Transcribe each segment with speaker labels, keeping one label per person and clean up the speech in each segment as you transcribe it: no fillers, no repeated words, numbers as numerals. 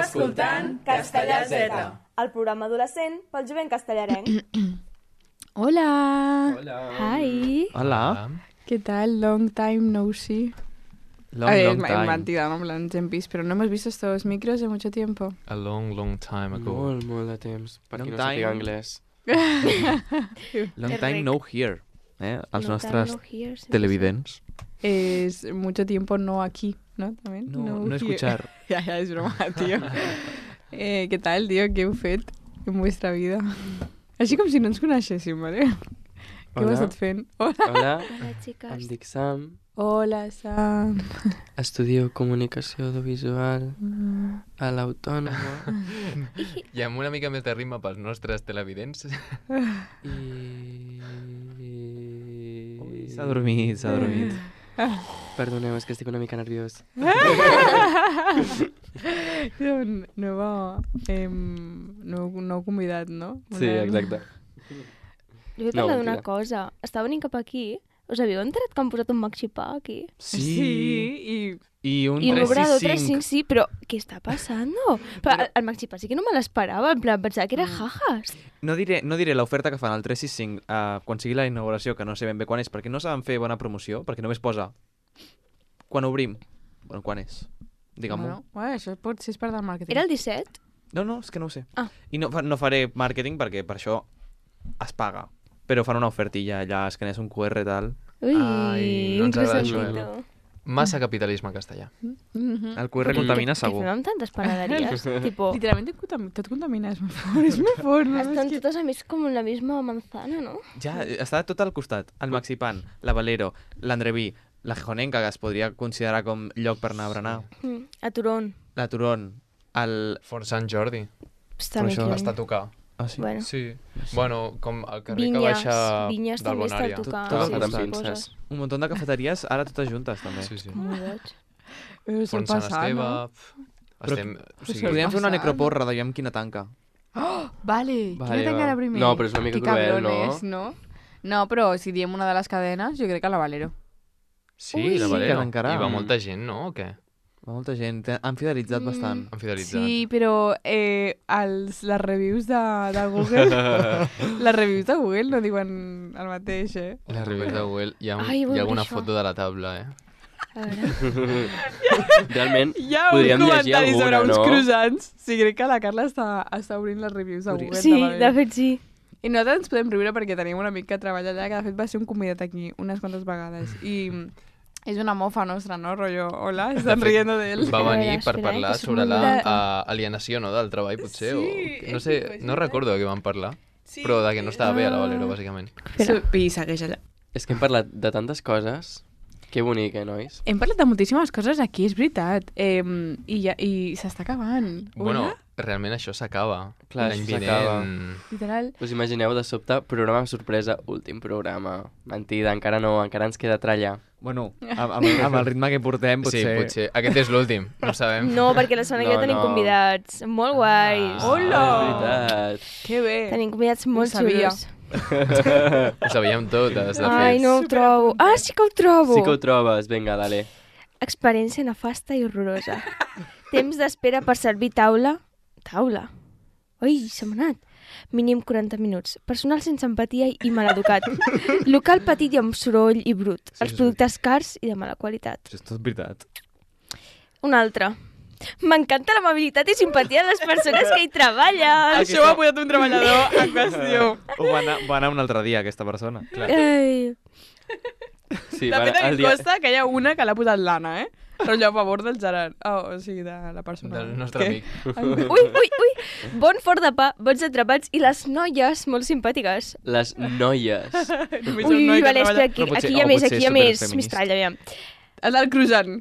Speaker 1: escoltant Castellà Z,
Speaker 2: el programa adolescent pel jovent castellarenc.
Speaker 3: Hola.
Speaker 4: Hola.
Speaker 3: Hi.
Speaker 4: Hola.
Speaker 3: ¿Qué tal? Long time no see.
Speaker 4: Long time.
Speaker 3: Mentira, no ens hem vist, pero no hemos visto estos micros de mucho tiempo.
Speaker 5: A long time ago.
Speaker 4: Molt de temps. Per qui
Speaker 6: Long
Speaker 4: no
Speaker 6: time.
Speaker 4: sàpiga anglès.
Speaker 6: Long time no here, els
Speaker 2: No
Speaker 6: nostres
Speaker 2: time, no here, sí,
Speaker 6: televidents.
Speaker 3: Es mucho tiempo no aquí, ¿no? También.
Speaker 6: No
Speaker 3: here.
Speaker 6: escuchar.
Speaker 3: Ya, es broma, tío. ¿Qué tal, tío? ¿Qué heu fet en vuestra vida? Així com si no ens coneixéssim, ¿vale? Què heu estat fent? Hola.
Speaker 4: Hola,
Speaker 2: Hola, xiques.
Speaker 4: em dic Sam,
Speaker 3: Hola, Sam.
Speaker 4: estudio comunicació audiovisual a l'Autònoma
Speaker 5: I amb una mica més de ritme pels nostres televidents.
Speaker 4: i...
Speaker 6: S'ha dormit.
Speaker 4: Perdoneu, és que estic una mica nerviós.
Speaker 3: Nou convidat, no?
Speaker 4: Sí, exacte.
Speaker 2: Jo vull
Speaker 4: No,
Speaker 2: parlar d'una
Speaker 4: mentira.
Speaker 2: cosa. Estava venint cap aquí. Us havíeu enterat que han posat un maxipà aquí?
Speaker 6: I un
Speaker 2: I un obrador
Speaker 6: 365.
Speaker 2: 355, sí, però què està passant? Però el maxipà sí que no me l'esperava, en plan, pensava que era jajas.
Speaker 6: No diré l'oferta que fan al 365 quan sigui la inauguració, que no sé ben bé quan és, perquè no saben fer bona promoció, perquè només posa quan obrim. Bueno, quan és? Digue'm-ho.
Speaker 3: Bueno, això pot ser part del màrqueting.
Speaker 2: Era el 17?
Speaker 6: No, és que no ho sé.
Speaker 2: Ah.
Speaker 6: I no faré màrqueting perquè per això es paga. Però fan una ofertilla allà, escanees un QR i tal.
Speaker 2: Ui,
Speaker 5: Ai, no ens agrada això,
Speaker 2: resentito.
Speaker 5: Massa capitalisme castellà.
Speaker 6: El QR contamina segur.
Speaker 2: Què fem amb tantes panaderies? tipo,
Speaker 3: Literalment tot contamina, és molt fort. No?
Speaker 2: estan totes a més com en la misma manzana, no?
Speaker 6: Ja, està tot al costat. El Maxipan, la Valero, l'Andreví, la Gijonenca, que es podria considerar com lloc per anar a berenar,
Speaker 2: A Turón.
Speaker 6: la Turón, el...
Speaker 5: Fort Sant Jordi.
Speaker 2: Està
Speaker 6: Per
Speaker 2: més
Speaker 6: això
Speaker 2: lluny.
Speaker 5: Està a tocar.
Speaker 6: Ah, sí?
Speaker 2: Bueno,
Speaker 5: Sí. Bueno, com el carrer que
Speaker 2: Vinyes.
Speaker 5: baixa
Speaker 2: Vinyes
Speaker 5: del
Speaker 2: també està a
Speaker 5: Bonària.
Speaker 2: tocar.
Speaker 6: Tot
Speaker 2: sí,
Speaker 6: agafat
Speaker 2: sí,
Speaker 4: amb
Speaker 2: coses.
Speaker 4: pinces.
Speaker 6: Un munt de cafeteries, ara totes juntes, també.
Speaker 5: Sí, sí.
Speaker 2: Molt boig.
Speaker 5: Font Sant Esteve... Estem... O sigui,
Speaker 6: Podríem fer una
Speaker 3: passant.
Speaker 6: necroporra, veiem quina tanca.
Speaker 3: Vale,
Speaker 4: Vale,
Speaker 3: quina tanca
Speaker 4: va.
Speaker 3: era primer?
Speaker 4: No, però és una mica
Speaker 3: Que
Speaker 4: cruel,
Speaker 3: cabrones, no? No, però si diem una de les cadenes, jo crec que la Valero.
Speaker 5: Sí,
Speaker 2: Ui,
Speaker 5: la
Speaker 2: sí.
Speaker 5: Valero.
Speaker 6: Que tancarà.
Speaker 5: I va molta gent, no? O què?
Speaker 6: Va molta gent, han fidelitzat bastant.
Speaker 5: Han fidelitzat.
Speaker 3: Sí, però les reviews de Google les reviews de Google no diuen el mateix,
Speaker 5: Les reviews de Google. Hi ha,
Speaker 2: Ai, vull
Speaker 5: hi ha alguna
Speaker 2: això.
Speaker 5: foto de la taula,
Speaker 2: A veure.
Speaker 4: Realment,
Speaker 3: Hi ha un
Speaker 4: podríem llegir
Speaker 3: comentari sobre
Speaker 4: alguna,
Speaker 3: uns
Speaker 4: no?
Speaker 3: croissants. Sí, crec que la Carla està obrint les reviews de Google.
Speaker 2: Sí,
Speaker 3: de la
Speaker 2: de
Speaker 3: Valero.
Speaker 2: fet sí.
Speaker 3: I nosaltres ens podem riure perquè tenim un amic que treballa allà, que de fet va ser un convidat aquí unes quantes vegades. I és una mofa nostra, no? Rollo, hola, estan riendo d'ell.
Speaker 5: Va venir
Speaker 2: Espera,
Speaker 5: per parlar
Speaker 2: que
Speaker 5: sobre
Speaker 2: soc
Speaker 5: la
Speaker 2: molt
Speaker 5: alienació, no?, del treball, potser.
Speaker 3: Sí,
Speaker 5: O... No sé, no recordo de què van parlar.
Speaker 3: Sí.
Speaker 5: Però de que no estava bé a la Valero, bàsicament.
Speaker 3: I segueix allà.
Speaker 4: És que hem parlat de tantes coses. Que bonic, nois?
Speaker 3: Hem parlat de moltíssimes coses aquí, és veritat. I s'està acabant.
Speaker 5: Bueno,
Speaker 3: Hola?
Speaker 5: realment això s'acaba.
Speaker 4: Clar,
Speaker 5: L'any
Speaker 4: això s'acaba.
Speaker 5: vinent...
Speaker 3: Literal.
Speaker 4: Us imagineu de sobte, programa sorpresa, últim programa. Mentida, encara no, encara ens queda trallar.
Speaker 6: Bueno, amb el ritme que portem,
Speaker 5: Sí,
Speaker 6: potser...
Speaker 5: potser. Aquest és l'últim, no sabem.
Speaker 2: No, perquè la setmana que ve
Speaker 4: No,
Speaker 2: tenim
Speaker 4: no.
Speaker 2: convidats molt guais.
Speaker 3: Hola!
Speaker 4: És veritat.
Speaker 3: Que bé.
Speaker 2: Tenim convidats molt
Speaker 3: Ho sabia.
Speaker 2: xulos.
Speaker 5: Ho sabíem totes, de
Speaker 2: Ai,
Speaker 5: fet.
Speaker 2: no ho trobo. Ah, sí que ho trobo.
Speaker 4: Sí que ho trobes, vinga, dale.
Speaker 2: Experiència nefasta i horrorosa. Temps d'espera per servir taula. Taula? Ui, se m'ha anat. Mínim 40 minuts. Personal sense empatia i maleducat. Local petit i amb soroll i brut. Els productes cars i de mala qualitat.
Speaker 6: Això és tot veritat.
Speaker 2: Un altre. M'encanta l'amabilitat i simpatia de les persones que hi treballen.
Speaker 3: Això ho ha posat un treballador en qüestió.
Speaker 6: O va anar un altre dia, aquesta persona.
Speaker 2: Ai.
Speaker 4: Sí,
Speaker 3: De fet, a mi
Speaker 4: el
Speaker 3: em costa que hi ha una que l'ha posat l'Anna, Rotllo a favor del Gerard. O sigui, de la persona.
Speaker 5: Del nostre amic.
Speaker 2: Ui. Bon forn de pa, bons atrapats i les noies molt simpàtiques.
Speaker 4: Les noies.
Speaker 2: Ui, vale, espera, aquí,
Speaker 6: Però potser-
Speaker 2: aquí hi ha
Speaker 6: o
Speaker 2: més,
Speaker 6: potser
Speaker 2: aquí hi ha
Speaker 6: és
Speaker 2: més.
Speaker 6: superfeminista.
Speaker 2: Mistral, aviam.
Speaker 3: El del croissant.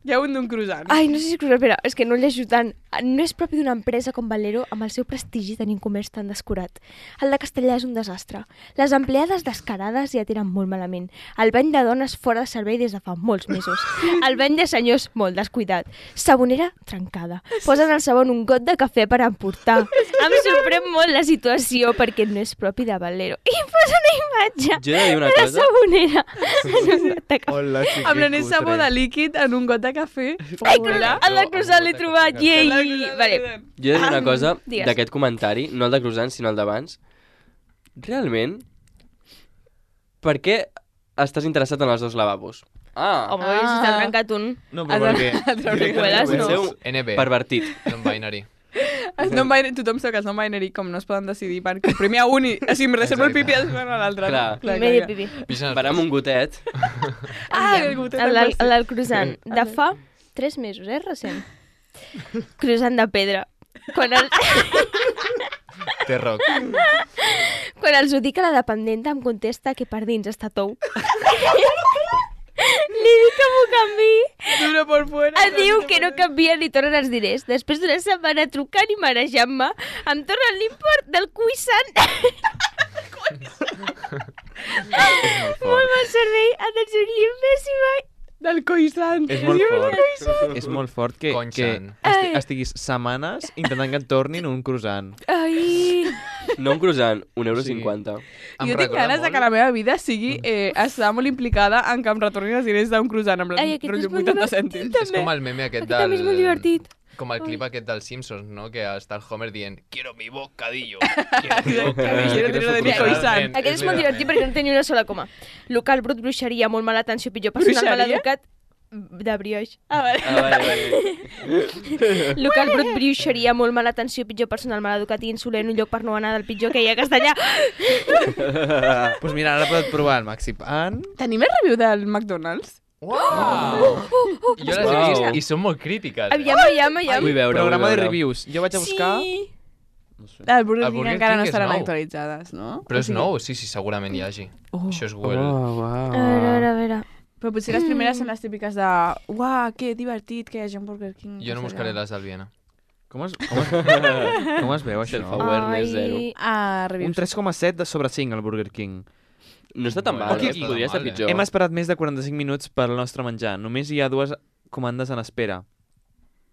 Speaker 3: Hi ha un d'un croissant.
Speaker 2: Ai, no sé si espera, és que no llegeixo tant. No és propi d'una empresa com Valero amb el seu prestigi tenint comerç tan descurat. El de Castellà és un desastre. Les empleades descarades ja tenen molt malament. El bany de dones fora de servei des de fa molts mesos. El bany de senyors molt descuidat. Sabonera trencada. Posen al sabó un got de cafè per emportar. Em sorprèn molt la situació perquè no és propi de Valero. I posa una imatge
Speaker 4: Jo he de dir una
Speaker 2: de la
Speaker 4: cosa.
Speaker 2: sabonera en un got de cafè.
Speaker 6: Hola, sí,
Speaker 3: Amb l'anès sabó de líquid en un got de cafè.
Speaker 2: Ai,
Speaker 3: Hola.
Speaker 2: el de croissant l'he trobat, llei,
Speaker 3: El de
Speaker 2: Vale.
Speaker 4: Jo he de dir una cosa
Speaker 2: digues.
Speaker 4: d'aquest comentari, no el de croissants, sinó el d'abans. Realment, per què estàs interessat en els dos lavabos?
Speaker 2: Home, si t'ha trencat un.
Speaker 6: No, però perquè...
Speaker 2: Cuelas, no.
Speaker 4: Seu
Speaker 5: NB,
Speaker 4: pervertit.
Speaker 5: non-binary.
Speaker 3: Tothom sap que els non-binary com no es poden decidir perquè primer a un i així em reservo el pipi i després a l'altre.
Speaker 4: Clar.
Speaker 2: Medio pipi.
Speaker 4: Van amb un gotet.
Speaker 3: El gotet
Speaker 2: El del croissant. De fa 3 mesos, recent. Croissant de pedra. Quan
Speaker 5: Té rock.
Speaker 2: Quan els ho dic a la dependenta em contesta que per dins està tou. Li dic que m'ho canvi.
Speaker 3: Duro por fuera.
Speaker 2: Em diu que no canvia ni tornen els diners. Després d'una setmana trucant i marejant-me, em tornen l'import del croissant. Molt mal servei, atenció client pèssima.
Speaker 3: Del coissant.
Speaker 6: És molt fort. És molt fort que
Speaker 5: Conxant.
Speaker 6: estiguis setmanes intentant que et tornin un croissant.
Speaker 2: Ai.
Speaker 4: No un croissant, €1,50.
Speaker 3: Jo tinc ganes de que la meva vida sigui estar molt implicada en que em retornin els diners d'un croissant amb
Speaker 2: Ai, aquest és
Speaker 3: rotllo
Speaker 2: molt
Speaker 3: 80
Speaker 2: divertit,
Speaker 3: cèntims.
Speaker 5: És com el meme aquest
Speaker 2: Aquest també és molt divertit.
Speaker 5: Com el clip aquest dels Simpsons, no? Que està el Homer dient quiero mi bocadillo.
Speaker 3: Quiero dinero de mi coissant.
Speaker 2: Aquest és molt divertit perquè no té ni una sola coma. Local brut, bruixeria, molt mala atenció, pitjor personal mal
Speaker 3: Bruixeria?
Speaker 2: educat. De brioix.
Speaker 4: Vale.
Speaker 2: Local brut, bruixeria, molt mala atenció, pitjor personal mal educat i insolent, un lloc per no anar del pitjor que hi ha a Castellà.
Speaker 6: Doncs mira, ara podeu provar el Maxi Pan.
Speaker 3: Tenim el review del McDonald's?
Speaker 5: Uau! Jo les he vist i són molt crítiques.
Speaker 2: Aviam.
Speaker 4: Vull veure,
Speaker 6: Programa de
Speaker 4: vull veure.
Speaker 6: reviews. Jo vaig a buscar...
Speaker 2: Sí.
Speaker 6: No sé.
Speaker 3: El Burger
Speaker 5: El
Speaker 3: King
Speaker 5: Burger
Speaker 3: encara
Speaker 5: King
Speaker 3: no
Speaker 5: és
Speaker 3: estaran
Speaker 5: nou.
Speaker 3: actualitzades, no?
Speaker 5: Però és nou, sí, segurament hi hagi. Això és Google.
Speaker 2: A veure.
Speaker 3: Però potser les primeres són les típiques de uah, que divertit que hi hagi un Burger King.
Speaker 5: Jo no buscaré les del Viena.
Speaker 6: Com es veu, això?
Speaker 4: Self-awareness zero.
Speaker 3: Ah,
Speaker 6: Un
Speaker 3: reviews.
Speaker 6: 3,7 sobre 5 al Burger King.
Speaker 4: No està tan mal,
Speaker 5: Bueno,
Speaker 4: eh? Podria estar
Speaker 5: mal,
Speaker 4: pitjor.
Speaker 6: Hem esperat més de 45 minuts per al nostre menjar. Només hi ha 2 comandes en espera.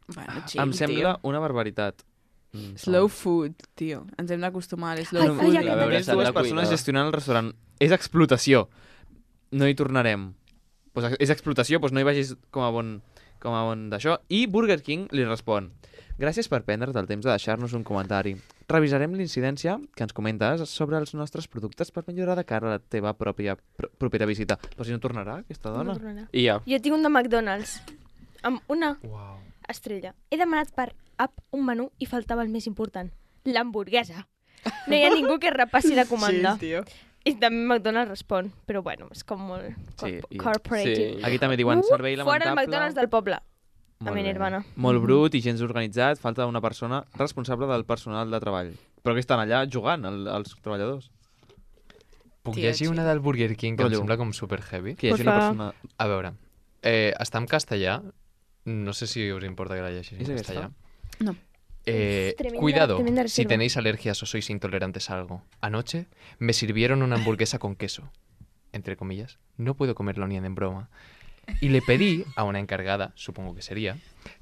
Speaker 3: Bueno, chill,
Speaker 6: Em sembla
Speaker 3: tio.
Speaker 6: una barbaritat.
Speaker 3: Slow food, tio. Ens hem d'acostumar a slow
Speaker 2: Ai,
Speaker 3: food.
Speaker 2: ai,
Speaker 4: A veure,
Speaker 6: Només
Speaker 4: s'han de
Speaker 6: 2 persones
Speaker 4: cuidar.
Speaker 6: gestionant el restaurant. És explotació. No hi tornarem. Pues és explotació, doncs no hi vagis com a bon d'això. I Burger King li respon: gràcies per prendre't el temps de deixar-nos un comentari. Revisarem l'incidència que ens comentes sobre els nostres productes per millorar de cara a la teva propera visita. Però si no tornarà, aquesta dona.
Speaker 4: I ja.
Speaker 2: Jo tinc un de McDonald's amb una
Speaker 5: Uau.
Speaker 2: estrella. He demanat per app un menú i faltava el més important, l'hamburguesa. No hi ha ningú que repassi la comanda.
Speaker 3: Sí, tio.
Speaker 2: I també McDonald's respon, però bueno, és com molt
Speaker 6: Sí, i-
Speaker 2: corporative.
Speaker 4: sí.
Speaker 6: Aquí també diuen servei lamentable.
Speaker 2: Fora el McDonald's del poble.
Speaker 6: Molt
Speaker 2: a mi,
Speaker 6: bé.
Speaker 2: hermana.
Speaker 6: Molt brut i gens organitzat. Falta una persona responsable del personal de treball. Però que estan allà jugant, els treballadors.
Speaker 5: Puc
Speaker 3: Tio,
Speaker 5: llegir
Speaker 3: sí.
Speaker 5: una del Burger King que em
Speaker 6: Rotllo.
Speaker 5: sembla com super heavy?
Speaker 6: Que hi hagi
Speaker 2: Por
Speaker 6: una
Speaker 2: favor.
Speaker 6: persona...
Speaker 5: A veure, està en castellà. No sé si us importa que la llegeixi en
Speaker 6: ¿Es
Speaker 5: castellà.
Speaker 6: esta?
Speaker 3: No.
Speaker 5: Cuidado,
Speaker 2: tremenda
Speaker 5: si
Speaker 2: reserva.
Speaker 5: tenéis alergias o sois intolerantes a algo. Anoche me sirvieron una hamburguesa con queso. Entre comillas. No puedo comerlo ni en broma. Y le pedí a una encargada, supongo que sería,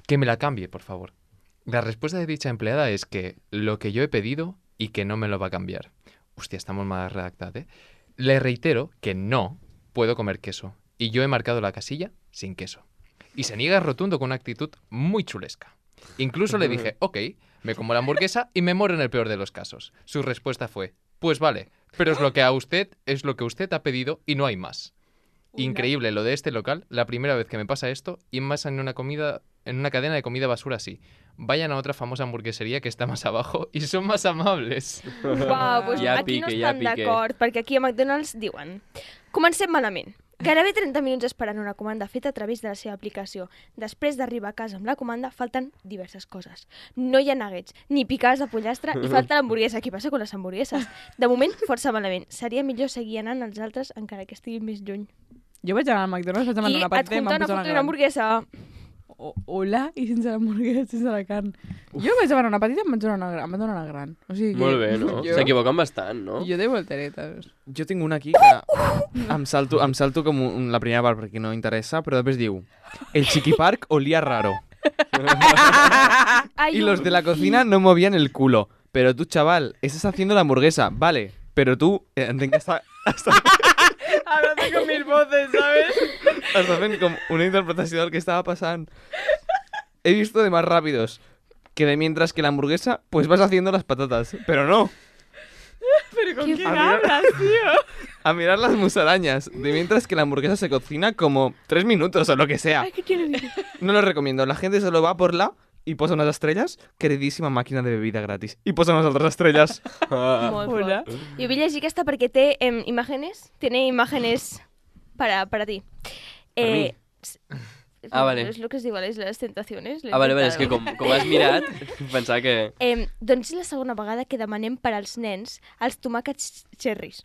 Speaker 5: que me la cambie, por favor. La respuesta de dicha empleada es que lo que yo he pedido y que no me lo va a cambiar. Hostia, estamos mal redactadas, ¿eh? Le reitero que no puedo comer queso. Y yo he marcado la casilla sin queso. Y se niega rotundo con una actitud muy chulesca. Incluso le dije, ok, me como la hamburguesa y me muero en el peor de los casos. Su respuesta fue, pues vale, pero es lo que usted ha pedido y no hay más. Increíble lo de este local, la primera vez que me pasa esto y más en una cadena de comida basura así. Vayan a otra famosa hamburgueseria que está más abajo y son más amables.
Speaker 2: Uau, doncs
Speaker 4: Ja
Speaker 2: aquí no
Speaker 4: pique, ja
Speaker 2: estan
Speaker 4: pique.
Speaker 2: d'acord, perquè aquí a McDonald's diuen: comencem malament. Gairebé 30 minuts esperant una comanda feta a través de la seva aplicació. Després d'arribar a casa amb la comanda, falten diverses coses. No hi ha nuggets, ni picades de pollastre i falta l'hamburguesa. Què passa amb les hamburgueses? De moment, força malament. Seria millor seguir anant als altres encara que estiguin més lluny.
Speaker 3: Jo vaig anar al McDonald's, vaig demanar
Speaker 2: I
Speaker 3: una
Speaker 2: et
Speaker 3: patata i
Speaker 2: junta
Speaker 3: m'han
Speaker 2: una
Speaker 3: posat
Speaker 2: foto
Speaker 3: una
Speaker 2: d'una
Speaker 3: gran.
Speaker 2: hamburguesa.
Speaker 3: Hola, i sense l'hamburguesa, sense la carn. Jo vaig demanar una petita i em van donar una gran. O sigui que
Speaker 4: Molt bé, no?
Speaker 3: Jo,
Speaker 4: S'equivoquen bastant, no?
Speaker 3: jo de volteretes.
Speaker 6: Jo tinc una aquí que em salto com la primera part perquè no interessa, però després diu: el chiquipark olía raro.
Speaker 2: Ai,
Speaker 6: Y los de la cocina no movían el culo. Pero tú, chaval, estás haciendo la hamburguesa, vale. Pero tú, entenc que està
Speaker 3: Hablando con mil voces, ¿sabes?
Speaker 6: fent com una interpretació del que estava passant. He visto de más rápidos que de mientras que la hamburguesa, pues vas haciendo las patatas. Pero no,
Speaker 3: Pero ¿con quién
Speaker 6: A mirar-
Speaker 3: hablas, tío?
Speaker 6: a mirar las musarañas. De mientras que la hamburguesa se cocina como 3 minutos o lo que sea.
Speaker 2: Ay, ¿qué quiere decir?
Speaker 6: No lo recomiendo. La gente solo va por la y posa unas estrelles. Queridíssima màquina de bebida gratis. I posa unes altres estrelles.
Speaker 2: Molt
Speaker 3: Hola.
Speaker 2: fort. Jo vull llegir aquesta perquè té imágenes. Tiene imágenes para ti.
Speaker 4: mí?
Speaker 2: s-
Speaker 4: Ah, vale.
Speaker 2: Es lo que es diu, les tentaciones.
Speaker 4: Ah, vale, és que com has mirat, pensava que...
Speaker 2: Doncs és la segona vegada que demanem per als nens els tomàquets cherries.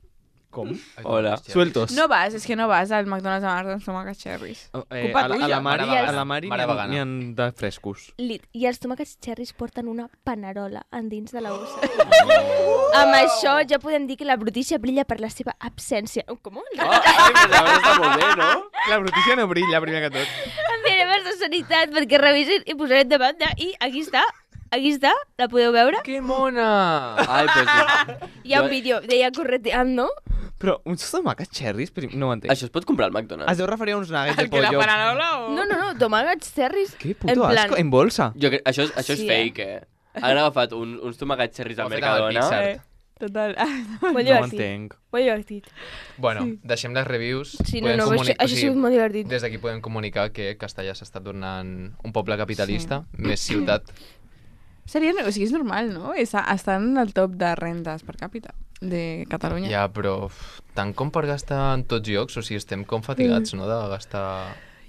Speaker 6: Com?
Speaker 4: Hola.
Speaker 6: Sueltos.
Speaker 3: No vas, és que no vas al McDonald's a demanar els tomàquets cherries. Culpa
Speaker 6: a
Speaker 3: tuya.
Speaker 6: la Mari,
Speaker 5: Mare
Speaker 6: a la Mari
Speaker 5: Mare vegana.
Speaker 6: n'hi ha de frescos.
Speaker 2: I els tomàquets cherries porten una panerola endins de la bossa. Amb això ja podem dir que la brutícia brilla per la seva absència. Com?
Speaker 4: Ai, però està molt bé, no?
Speaker 6: La brutícia no brilla, primer que tot.
Speaker 2: Enviarem de sanitat perquè revisen i posarem de banda i aquí està, la podeu veure?
Speaker 5: Que mona!
Speaker 4: Ai, pues...
Speaker 2: Hi ha un vídeo d'ella correteando.
Speaker 6: Però uns tomàquets cherries, no ho entenc.
Speaker 4: Això es pot comprar al
Speaker 6: Es
Speaker 4: McDonald's?
Speaker 6: deu referir a uns nuggets de
Speaker 3: El que la
Speaker 6: pollo.
Speaker 3: panerola o...?
Speaker 2: No, tomàquets cherries.
Speaker 6: Que
Speaker 2: En
Speaker 6: puto
Speaker 2: plan-
Speaker 6: asco, en bolsa.
Speaker 4: Això és
Speaker 2: Sí,
Speaker 4: fake, Han agafat uns tomàquets cherries
Speaker 5: Ho
Speaker 4: al
Speaker 5: ha fet amb el
Speaker 4: Mercadona.
Speaker 5: Pixar.
Speaker 3: Total.
Speaker 2: Molt
Speaker 6: No ho
Speaker 2: divertit.
Speaker 6: entenc.
Speaker 2: Molt divertit.
Speaker 5: Bueno, deixem les reviews.
Speaker 2: Sí,
Speaker 5: Podem
Speaker 2: no,
Speaker 5: comuni-
Speaker 2: això ha sigut molt divertit.
Speaker 5: Des d'aquí podem comunicar que Castellà s'està tornant un poble capitalista, més ciutat.
Speaker 3: O sigui, és normal, no? Està en el top de rendes per càpita de Catalunya.
Speaker 5: Ja, però tant com per gastar en tots llocs, o sigui, estem com fatigats, no?, de gastar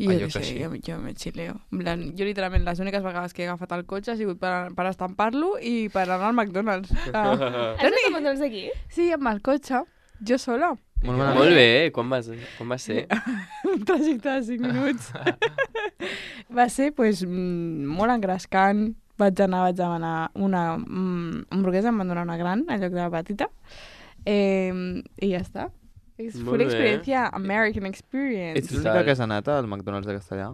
Speaker 3: Jo
Speaker 5: allò
Speaker 3: què
Speaker 5: que
Speaker 3: sé,
Speaker 5: sí.
Speaker 3: jo me xileo. En plan, jo literalment les úniques vegades que he agafat el cotxe ha sigut per estampar-lo i per anar al McDonald's.
Speaker 2: Has anat a McDonald's d'aquí?
Speaker 3: Sí, amb el cotxe, jo sola.
Speaker 6: Molt malament.
Speaker 4: Molt bé, quan va ser?
Speaker 3: Un trajecte de 5 minuts. Va ser, pues, molt engrescant. Vaig demanar una hamburguesa, em van donar una gran en lloc de la petita. I ja està. És
Speaker 4: Molt
Speaker 3: full
Speaker 4: bé.
Speaker 3: experiència, American experience.
Speaker 6: Ets l'única que has anat al McDonald's de Castellà?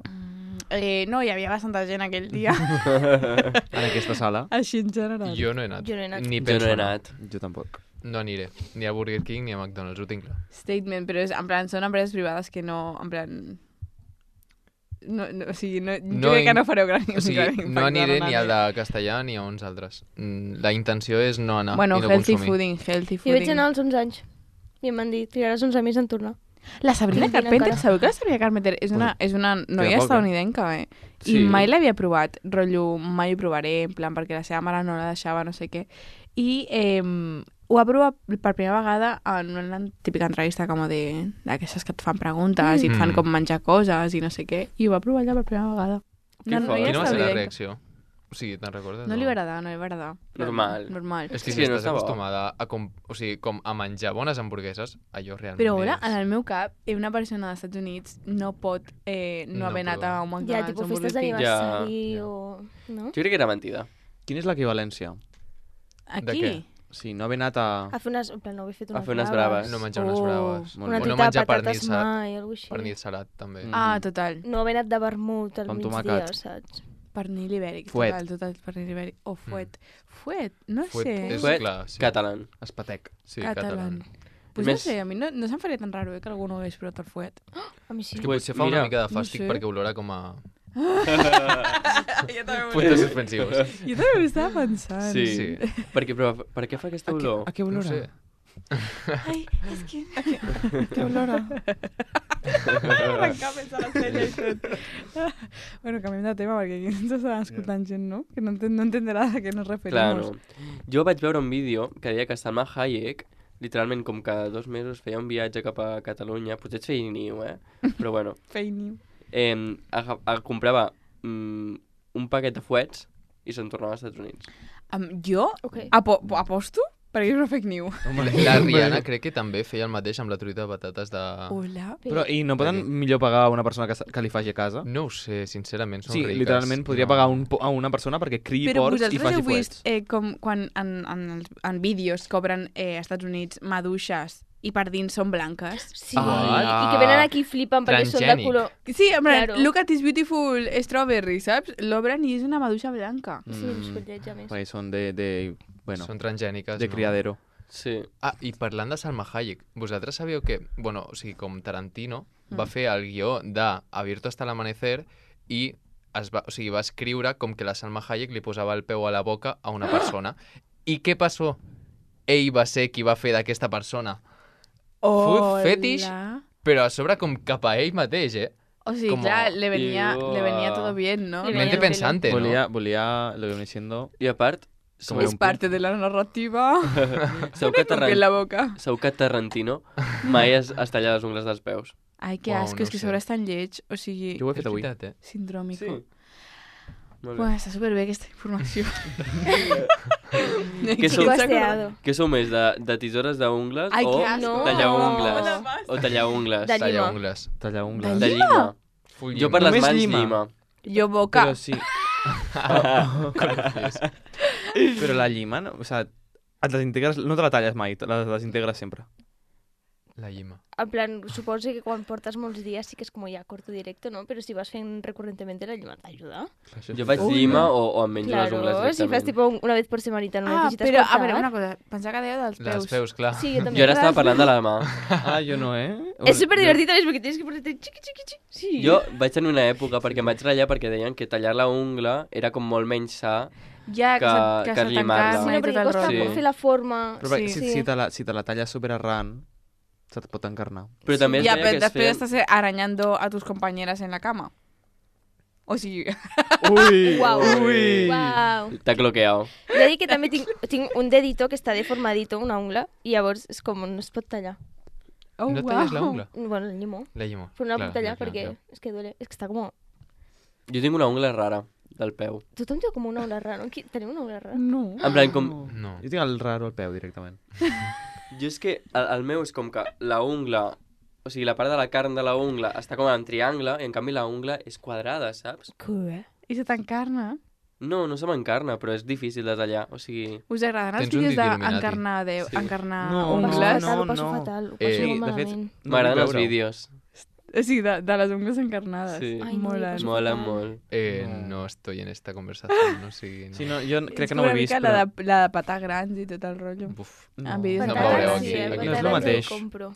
Speaker 3: No, hi havia bastanta gent aquell dia,
Speaker 6: En aquesta sala?
Speaker 3: així en general.
Speaker 5: Jo no he anat.
Speaker 2: Jo no he anat.
Speaker 5: Ni
Speaker 4: Jo
Speaker 5: penso
Speaker 4: no he
Speaker 5: anar.
Speaker 4: anat.
Speaker 6: Jo tampoc.
Speaker 5: No aniré. Ni a Burger King ni a McDonald's, ho tinc clar.
Speaker 3: Statement, però és, en plan, són empreses privades que no, en plan... No, o sigui, no,
Speaker 5: No
Speaker 3: jo crec que
Speaker 5: in-
Speaker 3: no fareu gran
Speaker 5: O sigui,
Speaker 3: gran
Speaker 5: no
Speaker 3: impacte
Speaker 5: aniré
Speaker 3: en
Speaker 5: ni al
Speaker 3: nadie.
Speaker 5: de Castellà ni a uns altres. La intenció és no anar
Speaker 3: Bueno,
Speaker 5: i no
Speaker 3: healthy
Speaker 5: consumir.
Speaker 3: fooding, healthy
Speaker 2: Jo vaig
Speaker 3: fooding.
Speaker 2: anar als 11 anys. I em van dir, trigaràs 11 mesos en tornar.
Speaker 3: La Sabrina
Speaker 2: Quina
Speaker 3: Carpenter,
Speaker 2: cara.
Speaker 3: sabeu que la Sabrina Carpenter és una noia
Speaker 6: poc,
Speaker 3: estadounidenca,
Speaker 6: Sí.
Speaker 3: I mai l'havia provat, rotllo, mai ho provaré, en plan, perquè la seva mare no la deixava, no sé què. I ho va provar per primera vegada en una típica entrevista com d'aquestes que et fan preguntes i et fan
Speaker 5: Mm.
Speaker 3: com menjar coses i no sé què, i ho va provar allà per primera vegada.
Speaker 4: Que fort.
Speaker 3: noia
Speaker 5: Quina va ser la
Speaker 3: estadounidenca.
Speaker 5: reacció? O sigui, te'n recordes?
Speaker 3: No li va agradar, no li va agradar.
Speaker 4: Normal.
Speaker 3: Normal.
Speaker 5: És que
Speaker 4: Sí,
Speaker 5: si
Speaker 4: no
Speaker 5: estàs
Speaker 4: està bo.
Speaker 5: acostumada a, o sigui, com a menjar bones hamburgueses, allò realment
Speaker 3: Però ara,
Speaker 5: és...
Speaker 3: en el meu cap, una persona dels Estats Units no pot no
Speaker 5: No
Speaker 3: haver anat
Speaker 5: provar.
Speaker 3: a un
Speaker 2: Ja,
Speaker 3: McDonald's
Speaker 2: tipus
Speaker 3: o un
Speaker 2: festes
Speaker 3: Burger King.
Speaker 2: d'aniversari
Speaker 5: Ja.
Speaker 2: o... No?
Speaker 4: Jo crec que era mentida.
Speaker 6: Quina és l'equivalència?
Speaker 3: Aquí?
Speaker 5: què?
Speaker 6: Sí, no haver anat a...
Speaker 2: A fer unes... En plan, no haver fet
Speaker 4: A
Speaker 2: unes
Speaker 4: fer unes
Speaker 2: braves.
Speaker 4: braves.
Speaker 5: No menjar unes
Speaker 3: Oh,
Speaker 5: braves.
Speaker 6: molt
Speaker 2: Una
Speaker 6: bé.
Speaker 5: O no
Speaker 2: truita de
Speaker 5: menjar
Speaker 2: patates
Speaker 5: pernil,
Speaker 2: mai, alguna així.
Speaker 5: pernil salat, també.
Speaker 3: Ah, total.
Speaker 2: No haver anat de vermut al
Speaker 6: Amb
Speaker 2: migdia,
Speaker 6: tomàquet.
Speaker 2: saps?
Speaker 3: Pernil ibèric.
Speaker 6: Fuet.
Speaker 3: Total, pernil ibèric. O fuet. Fuet, no
Speaker 5: Fuet
Speaker 3: sé.
Speaker 5: és
Speaker 4: Fuet,
Speaker 5: clar, sí.
Speaker 4: Catalán.
Speaker 6: Espatec.
Speaker 5: Sí,
Speaker 3: Catalán. Pues
Speaker 4: Més-
Speaker 3: no sé, a mi no se'm faria tan raro que algú no hagués provat el fuet.
Speaker 2: A mi sí.
Speaker 5: És que
Speaker 4: Pues
Speaker 5: potser fa
Speaker 4: mira,
Speaker 5: una mica de
Speaker 3: no
Speaker 5: fàstic
Speaker 3: sé.
Speaker 5: perquè olora com a
Speaker 3: jo també
Speaker 5: puntos suspensius.
Speaker 3: Jo també ho estava pensant.
Speaker 4: Sí.
Speaker 5: Sí.
Speaker 4: Però per què fa aquesta olor?
Speaker 6: A què
Speaker 5: No
Speaker 6: olora?
Speaker 5: sé.
Speaker 3: Ai, és que... Que olora. Arrencar pensant en ella i tot. Bueno, canviem de tema perquè aquí ens està escoltant gent, no? Que no entenderà a què nos referim.
Speaker 4: Clar, no. Jo vaig veure un vídeo que deia que Salma Hayek, literalment com cada 2 mesos feia un viatge cap a Catalunya, potser et feia niu, però bueno,
Speaker 3: Feini.
Speaker 4: comprava un paquet de fuets i se'n tornava als Estats Units.
Speaker 3: Jo
Speaker 2: Ok.
Speaker 3: aposto perquè és una fake news.
Speaker 5: La Rihanna crec que també feia el mateix amb la truita de patates de...
Speaker 3: Hola.
Speaker 6: Però, i no poden millor pagar a una persona que li faci a casa?
Speaker 5: No ho sé, sincerament, són
Speaker 6: Sí,
Speaker 5: riques.
Speaker 6: literalment podria pagar a una persona perquè criï
Speaker 3: Però
Speaker 6: porcs i
Speaker 3: vosaltres
Speaker 6: faci
Speaker 3: heu vist
Speaker 6: fuets.
Speaker 3: com quan en vídeos cobren als Estats Units maduixes i per dins són blanques?
Speaker 2: Sí,
Speaker 6: Ah.
Speaker 2: i que venen aquí i flipen perquè són de
Speaker 5: Transgènic.
Speaker 2: color...
Speaker 3: Sí, en plan,
Speaker 2: Claro.
Speaker 3: look at this beautiful strawberry, saps? L'obren i és una maduixa blanca.
Speaker 2: Sí, uns collets, a més.
Speaker 6: Perquè són bueno,
Speaker 5: Són transgèniques,
Speaker 6: de
Speaker 5: no?
Speaker 6: criadero.
Speaker 4: Sí.
Speaker 5: Ah, i parlant de Salma Hayek, vosaltres sabíeu que, bueno, o sigui, com Tarantino va fer el guió de Abierto hasta el amanecer i va escriure com que la Salma Hayek li posava el peu a la boca a una persona. I què passó? Ell va ser qui va fer d'aquesta persona. Food fetish, però a sobre com cap a ell mateix,
Speaker 3: O sigui,
Speaker 5: Como-
Speaker 3: clar, le venía
Speaker 4: Igual.
Speaker 3: todo bien, ¿no?
Speaker 2: Le
Speaker 5: Mente
Speaker 2: venía
Speaker 5: pensante, ¿no?
Speaker 6: Volia lo que viene siendo...
Speaker 4: I a part,
Speaker 6: Com
Speaker 3: Es parte de la narrativa.
Speaker 4: segur que,
Speaker 3: Con la boca.
Speaker 4: segur que Tarantino mai es talla les ungles dels peus.
Speaker 3: Ai, que
Speaker 5: Uau,
Speaker 3: asco,
Speaker 5: no
Speaker 3: és que
Speaker 5: sé.
Speaker 3: sobre és tan lleig. O sigui,
Speaker 6: Jo ho he
Speaker 5: És
Speaker 6: fet avui.
Speaker 5: veritat,
Speaker 3: sindròmico.
Speaker 4: Molt bé.
Speaker 3: Bueno, està superbé aquesta informació.
Speaker 4: Que sou-
Speaker 2: Chico aseado.
Speaker 4: Què sou més, de tisores d'ungles
Speaker 3: Ai,
Speaker 4: o
Speaker 3: que asco.
Speaker 2: No.
Speaker 4: tallar ungles?
Speaker 2: No.
Speaker 4: O tallar ungles?
Speaker 2: De
Speaker 5: Talla
Speaker 2: llima.
Speaker 5: ungles.
Speaker 6: Tallar ungles.
Speaker 3: De
Speaker 4: De llima.
Speaker 5: Full
Speaker 4: Jo
Speaker 5: llima.
Speaker 4: per les
Speaker 6: Només
Speaker 4: mans
Speaker 6: llima.
Speaker 4: llima.
Speaker 3: Jo boca.
Speaker 6: Però sí. Però la llima, no? O sea, et desintegres, no te la talles mai, te la desintegres sempre.
Speaker 5: La llima.
Speaker 2: En plan, suposo que quan portes molts dies sí que és com ja corto directo, ¿no? Però si vas fent recurrentemente la llima t'ajuda.
Speaker 4: Jo faig llima o em menjo les ungles
Speaker 2: Claro, si fas
Speaker 4: directament.
Speaker 2: tipo una vez por semanita, no necesitas
Speaker 3: però, a
Speaker 2: cortar.
Speaker 3: veure, una cosa. Pensava que dèieu dels peus.
Speaker 5: Les peus, clar.
Speaker 2: Sí, jo també.
Speaker 4: Jo ara estava parlant de la mà.
Speaker 6: Ah, jo no,
Speaker 2: És superdivertit, ¿ves? Porque tienes que ponerte chiqui, chiqui, chiqui. Sí.
Speaker 4: Jo vaig tenir una època perquè em vaig ratllar perquè deien que tallar la ungla era com molt menys sa.
Speaker 3: Ja,
Speaker 4: que
Speaker 3: se
Speaker 4: llimar-la.
Speaker 2: Sí,
Speaker 3: t'encarna
Speaker 2: no,
Speaker 3: i tot
Speaker 2: perquè
Speaker 3: el
Speaker 2: costa
Speaker 3: rotllo.
Speaker 4: Sí.
Speaker 2: fer la forma.
Speaker 6: Però
Speaker 3: Sí.
Speaker 6: si te la talles super arran, se te pot encarnar.
Speaker 4: Però també es
Speaker 3: Ja,
Speaker 4: deia
Speaker 3: però
Speaker 4: que es
Speaker 3: després
Speaker 4: feien...
Speaker 3: estàs arañando a tus compañeras en la cama. O sigui...
Speaker 6: Ui!
Speaker 2: Uau.
Speaker 6: Ui!
Speaker 2: Uau.
Speaker 4: T'ha cloqueado.
Speaker 2: He de dir que també tinc un dedito que està deformadito, una ungla, i llavors és com no es pot tallar.
Speaker 3: Oh,
Speaker 5: No talles la ungla?
Speaker 2: Bueno, el llimo.
Speaker 5: La llima.
Speaker 2: Però no la
Speaker 5: Clar,
Speaker 2: puc tallar
Speaker 5: clar,
Speaker 2: perquè
Speaker 5: clar.
Speaker 2: és que duele. És que està com...
Speaker 4: Jo tinc una ungla rara del peu.
Speaker 2: Tothom té com una ungla rara, no? Tenim una ungla rara?
Speaker 3: No.
Speaker 4: En plan, com...
Speaker 5: No.
Speaker 6: Jo tinc el raro al peu, directament.
Speaker 4: Jo és que el meu és com que la ungla... O sigui, la part de la carn de la ungla està com en triangle i en canvi la ungla és quadrada, saps?
Speaker 2: Què?
Speaker 3: I se t'encarna.
Speaker 4: No, no se m'encarna, però és difícil de tallar. O sigui...
Speaker 3: Us agraden els
Speaker 5: Tens un
Speaker 3: vídeos
Speaker 5: dit il·luminati.
Speaker 3: d'encarnar
Speaker 4: Sí.
Speaker 3: encarnar
Speaker 6: No,
Speaker 2: Ho passo
Speaker 3: ungles?
Speaker 2: fatal,
Speaker 6: no,
Speaker 2: ho passo
Speaker 6: no.
Speaker 2: fatal. Ho passo
Speaker 5: Eh,
Speaker 2: molt
Speaker 6: de fet,
Speaker 2: malament.
Speaker 6: no
Speaker 4: M'agraden
Speaker 6: vull
Speaker 4: els
Speaker 6: veure-ho.
Speaker 4: vídeos.
Speaker 3: Sí, de les ungles encarnades.
Speaker 4: Sí.
Speaker 2: Ai, no,
Speaker 3: Molen.
Speaker 2: passo
Speaker 4: Molen
Speaker 2: fatal.
Speaker 4: molt.
Speaker 5: No estoy en esta conversación, no sigui... No.
Speaker 6: Sí, no, jo crec
Speaker 3: És
Speaker 6: que no ho he
Speaker 3: una
Speaker 6: vist,
Speaker 3: mica
Speaker 6: però...
Speaker 3: la de patar grans i tot el rotllo.
Speaker 5: Buf.
Speaker 6: No.
Speaker 3: En vídeos
Speaker 5: No
Speaker 3: de
Speaker 5: veureu
Speaker 3: patar
Speaker 5: aquí,
Speaker 3: grans.
Speaker 5: aquí
Speaker 6: no és el mateix.
Speaker 2: Compro.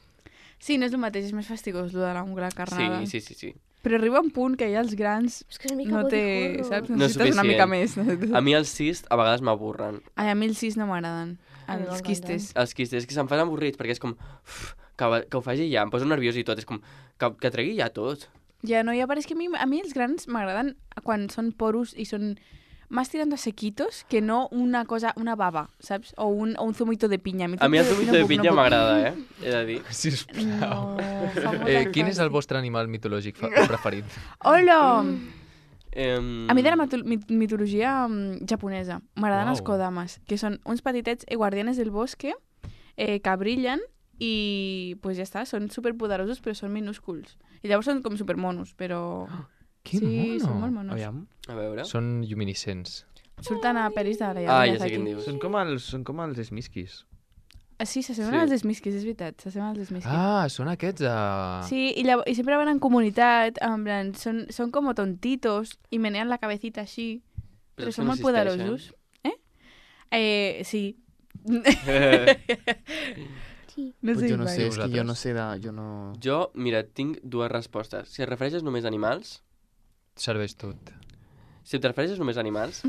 Speaker 3: Sí, no és el mateix, és més fastigós, lo de l'ungla encarnada.
Speaker 4: Sí.
Speaker 3: Però arriba un punt que ja els grans
Speaker 2: És que és una mica
Speaker 3: no
Speaker 2: body
Speaker 3: té,
Speaker 2: horror.
Speaker 3: saps?
Speaker 4: No és
Speaker 3: Necessites una mica més.
Speaker 4: A mi els cis a vegades m'avorren.
Speaker 3: Ai, a mi els cis no m'agraden.
Speaker 2: A mi
Speaker 3: Els
Speaker 2: m'encanten.
Speaker 3: quistes.
Speaker 4: Els quistes, que se'm fan avorrits, perquè és com... que ho faci ja, em poso nerviós i tot. És com... Que tregui ja tot.
Speaker 3: Ja, no, ja pareix que a mi els grans m'agraden quan són poros i són más tirando a sequitos que no una cosa, una baba, ¿sabes? O un zumito de piña.
Speaker 4: A mi el zumito de pinya
Speaker 3: puc.
Speaker 4: m'agrada, He de dir.
Speaker 3: No,
Speaker 5: Sisplau.
Speaker 3: fa molta
Speaker 5: Quin és el
Speaker 3: fàstic.
Speaker 5: vostre animal mitològic preferit?
Speaker 3: Hola!
Speaker 4: A
Speaker 3: A mi de la mitologia japonesa m'agraden els
Speaker 5: Uau.
Speaker 3: kodamas, que són uns petitets guardianes del bosque que brillen i pues ja està, són superpoderosos però són minúsculs. I llavors són com supermonos, però...
Speaker 5: Quin
Speaker 3: sí, són molt
Speaker 5: mono!
Speaker 3: monos.
Speaker 6: Aviam.
Speaker 4: A veure...
Speaker 5: Són lluminiscents.
Speaker 3: Surten a peris de la
Speaker 4: Ah, ja sé
Speaker 3: Miyazaki.
Speaker 4: quin dius.
Speaker 6: Són com els Smiskis.
Speaker 3: Sí, s'assemblen
Speaker 4: Sí.
Speaker 3: als Smiskis, és veritat, s'assemblen als Smiskis.
Speaker 5: Ah, són aquests de...
Speaker 3: Sí, i sempre van en comunitat, en plan, són com tontitos i menean la cabecita així, però
Speaker 4: és que
Speaker 3: són
Speaker 4: no
Speaker 3: molt
Speaker 4: existeixen.
Speaker 3: poderosos. Sí.
Speaker 2: Sí.
Speaker 3: No
Speaker 6: Pues
Speaker 3: sé,
Speaker 6: jo no
Speaker 3: mai.
Speaker 6: sé, és que jo
Speaker 5: Vosaltres?
Speaker 6: no sé de... Jo no...
Speaker 4: Jo, mira, tinc dues respostes. Si et refereixes només a animals,
Speaker 5: Serveix tot.
Speaker 4: si et refereixes només a animals,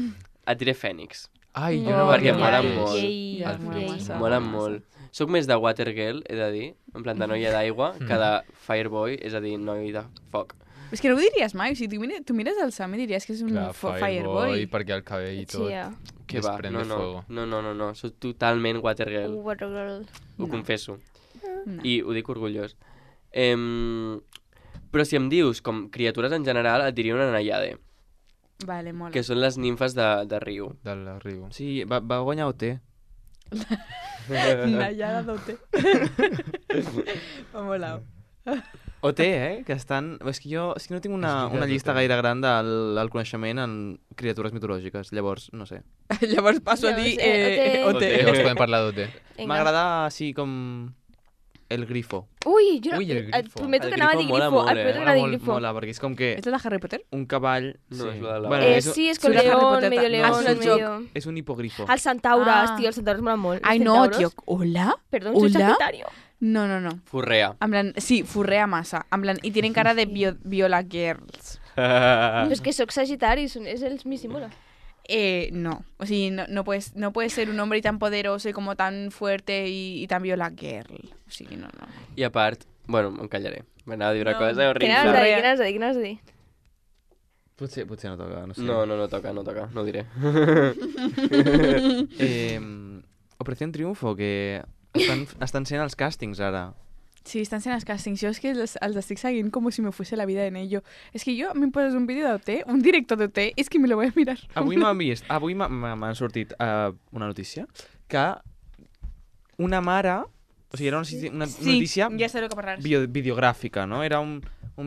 Speaker 4: et diré fènix.
Speaker 5: Ai, jo
Speaker 3: Oh,
Speaker 5: no
Speaker 4: perquè
Speaker 5: m'havia
Speaker 4: molen
Speaker 5: vist.
Speaker 4: molt.
Speaker 2: Yay,
Speaker 3: Ja,
Speaker 5: El
Speaker 3: mola
Speaker 5: Fènix.
Speaker 3: massa.
Speaker 4: Molen
Speaker 3: massa.
Speaker 4: molt. Soc més de Water Girl, he de dir, en plan de noia d'aigua, que de Fireboy, és a dir, noi de foc.
Speaker 3: És que no ho diries mai, o sigui, tu mires el Sam i diries que és un
Speaker 5: Clar,
Speaker 3: Fireboy.
Speaker 5: perquè el cabell i tot.
Speaker 2: Sí, ja.
Speaker 4: Que va,
Speaker 5: Desprende fuego.
Speaker 4: no, soc totalment Water Girl,
Speaker 2: Water Girl.
Speaker 4: ho confesso.
Speaker 3: No.
Speaker 4: I ho dic orgullós. Però si em dius com criatures en general, et diria una Naiade,
Speaker 3: Vale, mola.
Speaker 4: que són les nimfes de riu.
Speaker 5: Del riu.
Speaker 6: Sí, va guanyar OT.
Speaker 3: Nayara d'Ote. M'ha molat.
Speaker 6: OT, que estan... És que jo no tinc una llista gaire gran del coneixement en criatures mitològiques, llavors, no sé.
Speaker 3: Llavors passo a
Speaker 2: No
Speaker 3: dir
Speaker 2: sé,
Speaker 3: Ote.
Speaker 5: Llavors podem parlar d'OT.
Speaker 2: Vinga.
Speaker 6: M'agrada així com... El grifo.
Speaker 2: Ui, jo no,
Speaker 5: Ui, el
Speaker 2: et
Speaker 5: grifo.
Speaker 2: prometo
Speaker 4: El
Speaker 2: que anava a dir
Speaker 4: grifo mola
Speaker 2: grifo.
Speaker 4: molt,
Speaker 2: Et prometo que
Speaker 4: eh?
Speaker 2: anava a dir
Speaker 6: Mola,
Speaker 2: grifo.
Speaker 6: mola, perquè és com que
Speaker 3: És la de Harry Potter?
Speaker 6: un cavall...
Speaker 4: No, és la de la-
Speaker 6: Bueno,
Speaker 2: Sí, és con
Speaker 3: Surt a Harry
Speaker 2: león,
Speaker 3: Potter,
Speaker 2: medio
Speaker 3: no,
Speaker 2: león,
Speaker 3: surt al
Speaker 2: medio...
Speaker 6: És un hipogrifo.
Speaker 2: Els centaures,
Speaker 3: Ah.
Speaker 2: tio, els centaures molen molt.
Speaker 3: Ai,
Speaker 2: Els
Speaker 3: no,
Speaker 2: centauros-
Speaker 3: tio. Hola?
Speaker 2: Perdón, soy
Speaker 3: Hola?
Speaker 2: sagitario.
Speaker 3: No.
Speaker 4: Forrea.
Speaker 3: En plan, sí, forrea massa. En plan, y tienen cara de viola girls.
Speaker 2: Però és que sóc sagitari, és el Missimula.
Speaker 3: No. O sigui, no puedes ser un hombre tan poderoso y como tan fuerte y tan viola girl. O sigui, no.
Speaker 4: I a part, bueno, em callaré. M'anava a dir una
Speaker 3: No.
Speaker 4: cosa
Speaker 2: Què
Speaker 4: horrible.
Speaker 2: anaves a dir?
Speaker 6: Potser no toca, no sé.
Speaker 4: No toca, no ho diré.
Speaker 6: Operación Triunfo, que estan sent els càstings ara.
Speaker 3: Sí, estan sent els càstings. Jo és que els estic seguint com si me fuese la vida en ello. És que jo me poses un vídeo d'OT, un directo d'OT, és que me lo voy a mirar.
Speaker 6: Avui m'ha sortit una notícia que una mare... O sigui, era una notícia
Speaker 3: ja sé el que parlaràs.
Speaker 6: videogràfica, no? Era un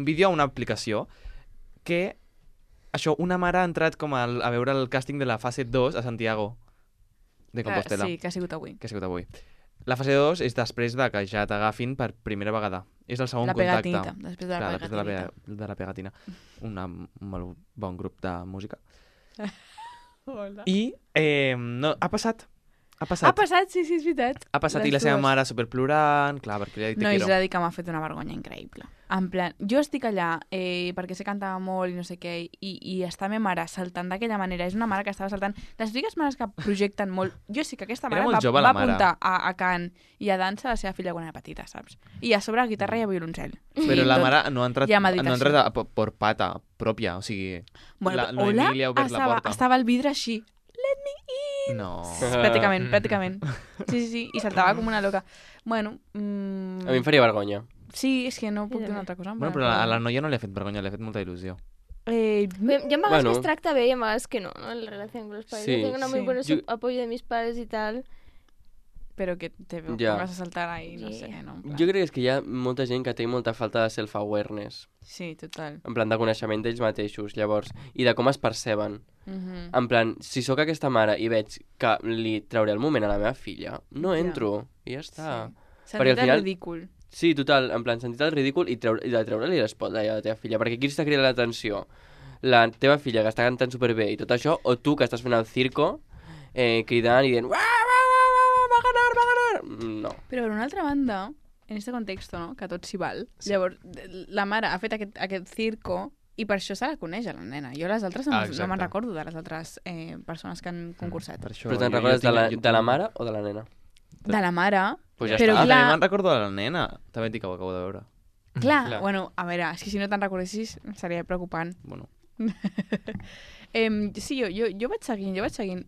Speaker 6: vídeo a una aplicació que... Això, una mare ha entrat com a veure el càsting de la fase 2 a Santiago de Compostela.
Speaker 3: Sí, que ha sigut avui.
Speaker 6: La fase 2 és després de que ja t'agafin per primera vegada. És el segon
Speaker 3: La
Speaker 6: contacte.
Speaker 3: pegatinita, després de la
Speaker 6: Clar,
Speaker 3: pegatinita.
Speaker 6: de la pegatina. Un molt bon grup de música.
Speaker 3: Hola.
Speaker 6: I no, ha passat.
Speaker 3: Ha passat, sí, és veritat.
Speaker 6: Ha passat i la
Speaker 3: Les
Speaker 6: seva
Speaker 3: dues.
Speaker 6: mare superplorant, clar, perquè li ha dit
Speaker 3: No,
Speaker 6: te
Speaker 3: és
Speaker 6: quiero.
Speaker 3: a dir que m'ha fet una vergonya increïble. En plan, jo estic allà perquè sé cantar molt i no sé què, i està ma mare saltant d'aquella manera. És una mare que estava saltant. Les típiques mares que projecten molt... Jo sé que aquesta
Speaker 6: Era
Speaker 3: mare
Speaker 6: molt jove,
Speaker 3: va
Speaker 6: la mare.
Speaker 3: apuntar a cant i a dansa a la seva filla quan era petita, saps? I a sobre a guitarra i a violoncel.
Speaker 6: Però la mare no ha entrat,
Speaker 3: hi ha
Speaker 6: no ha
Speaker 3: meditació.
Speaker 6: entrat por pata pròpia, o sigui...
Speaker 3: Bueno,
Speaker 6: la Noemí li ha obert la porta.
Speaker 3: estava al vidre així. Let me in!
Speaker 6: No.
Speaker 3: Pràcticament. Sí, i saltava com una loca. Bueno,
Speaker 4: A mi em faria vergonya.
Speaker 3: sí, és que no puc dir una altra cosa.
Speaker 6: Bueno, però a la noia no li ha fet vergonya, li ha fet molta il·lusió.
Speaker 2: Hi ha vegades
Speaker 4: Bueno.
Speaker 2: que es tracta bé i a vegades que no, en la relació con los padres.
Speaker 4: Sí.
Speaker 2: Yo tengo una muy
Speaker 3: Sí.
Speaker 2: buena
Speaker 4: Yo-
Speaker 2: apoyo de mis padres y tal.
Speaker 3: Però que te
Speaker 4: Ja.
Speaker 3: pongas a saltar ahí, no
Speaker 2: Sí.
Speaker 3: sé, no? En plan.
Speaker 4: Jo crec que és que hi ha molta gent que té molta falta de self-awareness,
Speaker 3: Sí, total.
Speaker 4: en plan de coneixement d'ells mateixos, llavors, i de com es perceben.
Speaker 3: Mhm.
Speaker 4: En plan, si sóc aquesta mare i veig que li trauré el moment a la meva filla, no
Speaker 3: Ja.
Speaker 4: entro, i ja està.
Speaker 3: Sí.
Speaker 4: Perquè al
Speaker 3: Sentit
Speaker 4: final-
Speaker 3: ridícul.
Speaker 4: Sí, total, en plan, sentit el ridícul i de treure-li l'espotlight a la teva filla, perquè qui està cridant l'atenció? La teva filla que està cantant superbé i tot això, o tu que estàs fent el circo, cridant i dient va ganar! No.
Speaker 3: Però per una altra banda, en este context, no?, que tot s'hi val, llavors la mare ha fet aquest circo i per això se la coneix a la nena. Jo les altres no
Speaker 5: exacte.
Speaker 3: me'n recordo de les altres persones que han concursat.
Speaker 6: Per això,
Speaker 4: Però te'n
Speaker 6: jo
Speaker 4: recordes
Speaker 6: tinc-
Speaker 4: de la mare o de la nena?
Speaker 3: De la mare,
Speaker 4: Pues ja
Speaker 3: Però
Speaker 4: està.
Speaker 6: Ah,
Speaker 3: clar-
Speaker 6: també me'n recordo de la nena. També et dic que ho acabo de veure.
Speaker 3: clar,
Speaker 4: Clar.
Speaker 3: bueno, a veure, és que si no te'n recordessis seria preocupant.
Speaker 6: Bueno,
Speaker 3: Sí, jo vaig seguint.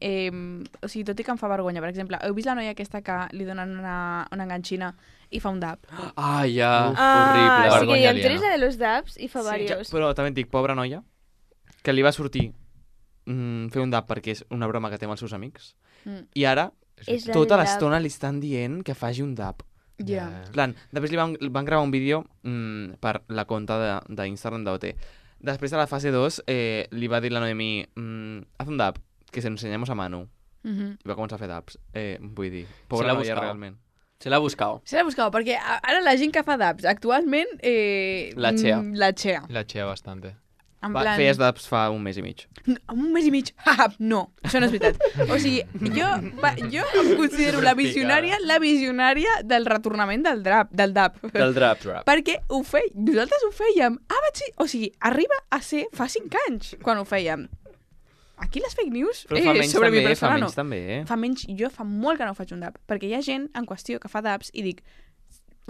Speaker 3: O sigui, tot i que em fa vergonya. Per exemple, heu vist la noia aquesta que li donen una enganxina i fa un dab?
Speaker 4: Ah, ja,
Speaker 2: Ah,
Speaker 4: horrible.
Speaker 2: sí que
Speaker 5: Vergonya
Speaker 2: hi ha
Speaker 5: aliena.
Speaker 2: tres de los dabs i fa
Speaker 3: Sí.
Speaker 2: varios.
Speaker 6: però també et dic, pobra noia, que li va sortir fer un dab perquè és una broma que té amb els seus amics,
Speaker 3: Mm.
Speaker 6: i ara
Speaker 2: És la
Speaker 6: tota
Speaker 2: del dab.
Speaker 6: l'estona li estan dient que faci un dab.
Speaker 3: Ja.
Speaker 6: En plan, després li van gravar un vídeo per la compte d'Instagram d'OT. Després de la fase 2 li va dir la Noemí haz un dab, que se lo enseñamos a Manu.
Speaker 3: Mhm.
Speaker 6: I va començar a fer dabs. Vull dir,
Speaker 4: Se
Speaker 6: pobra
Speaker 4: l'ha
Speaker 6: noia
Speaker 4: buscat.
Speaker 6: realment.
Speaker 4: Se l'ha buscat.
Speaker 3: Se l'ha buscat, perquè ara la gent que fa dabs actualment...
Speaker 4: La Chea.
Speaker 3: La Chea.
Speaker 5: La chea bastante.
Speaker 3: En
Speaker 6: Va,
Speaker 3: plan...
Speaker 6: feies dabs fa un mes i mig.
Speaker 3: Un mes i mig. No, això no és veritat. O sigui, jo em considero la visionària del retornament del dab.
Speaker 4: Del drap.
Speaker 3: Perquè nosaltres ho fèiem. O sigui, arriba a ser fa 5 anys quan ho fèiem. Aquí les fake news
Speaker 6: Però fa menys
Speaker 3: sobre mi
Speaker 6: també,
Speaker 3: persona
Speaker 6: fa
Speaker 3: no.
Speaker 6: menys també,
Speaker 3: Fa menys, jo fa molt que no faig un dab, perquè hi ha gent en qüestió que fa dabs i dic,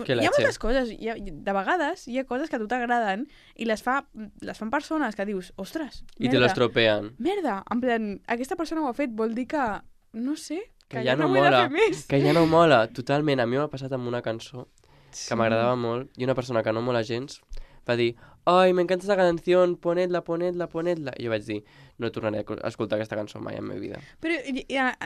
Speaker 4: Que
Speaker 3: hi ha
Speaker 4: la
Speaker 3: moltes coses, de vegades hi ha coses que a tu t'agraden i les fan persones que dius, ostres,
Speaker 4: I te l'estropean.
Speaker 3: merda, en plan, aquesta persona ho ha fet, vol dir que, no sé,
Speaker 4: Que ja no
Speaker 3: vull
Speaker 4: mola.
Speaker 3: fer més.
Speaker 4: Que ja no mola. Totalment. A mi m'ha passat amb una cançó que m'agradava molt i una persona que no mola gens va dir «Ai, m'encanta esta canción, ponedla». I jo vaig dir «No tornaré a escoltar aquesta cançó mai en la meva vida».
Speaker 3: Però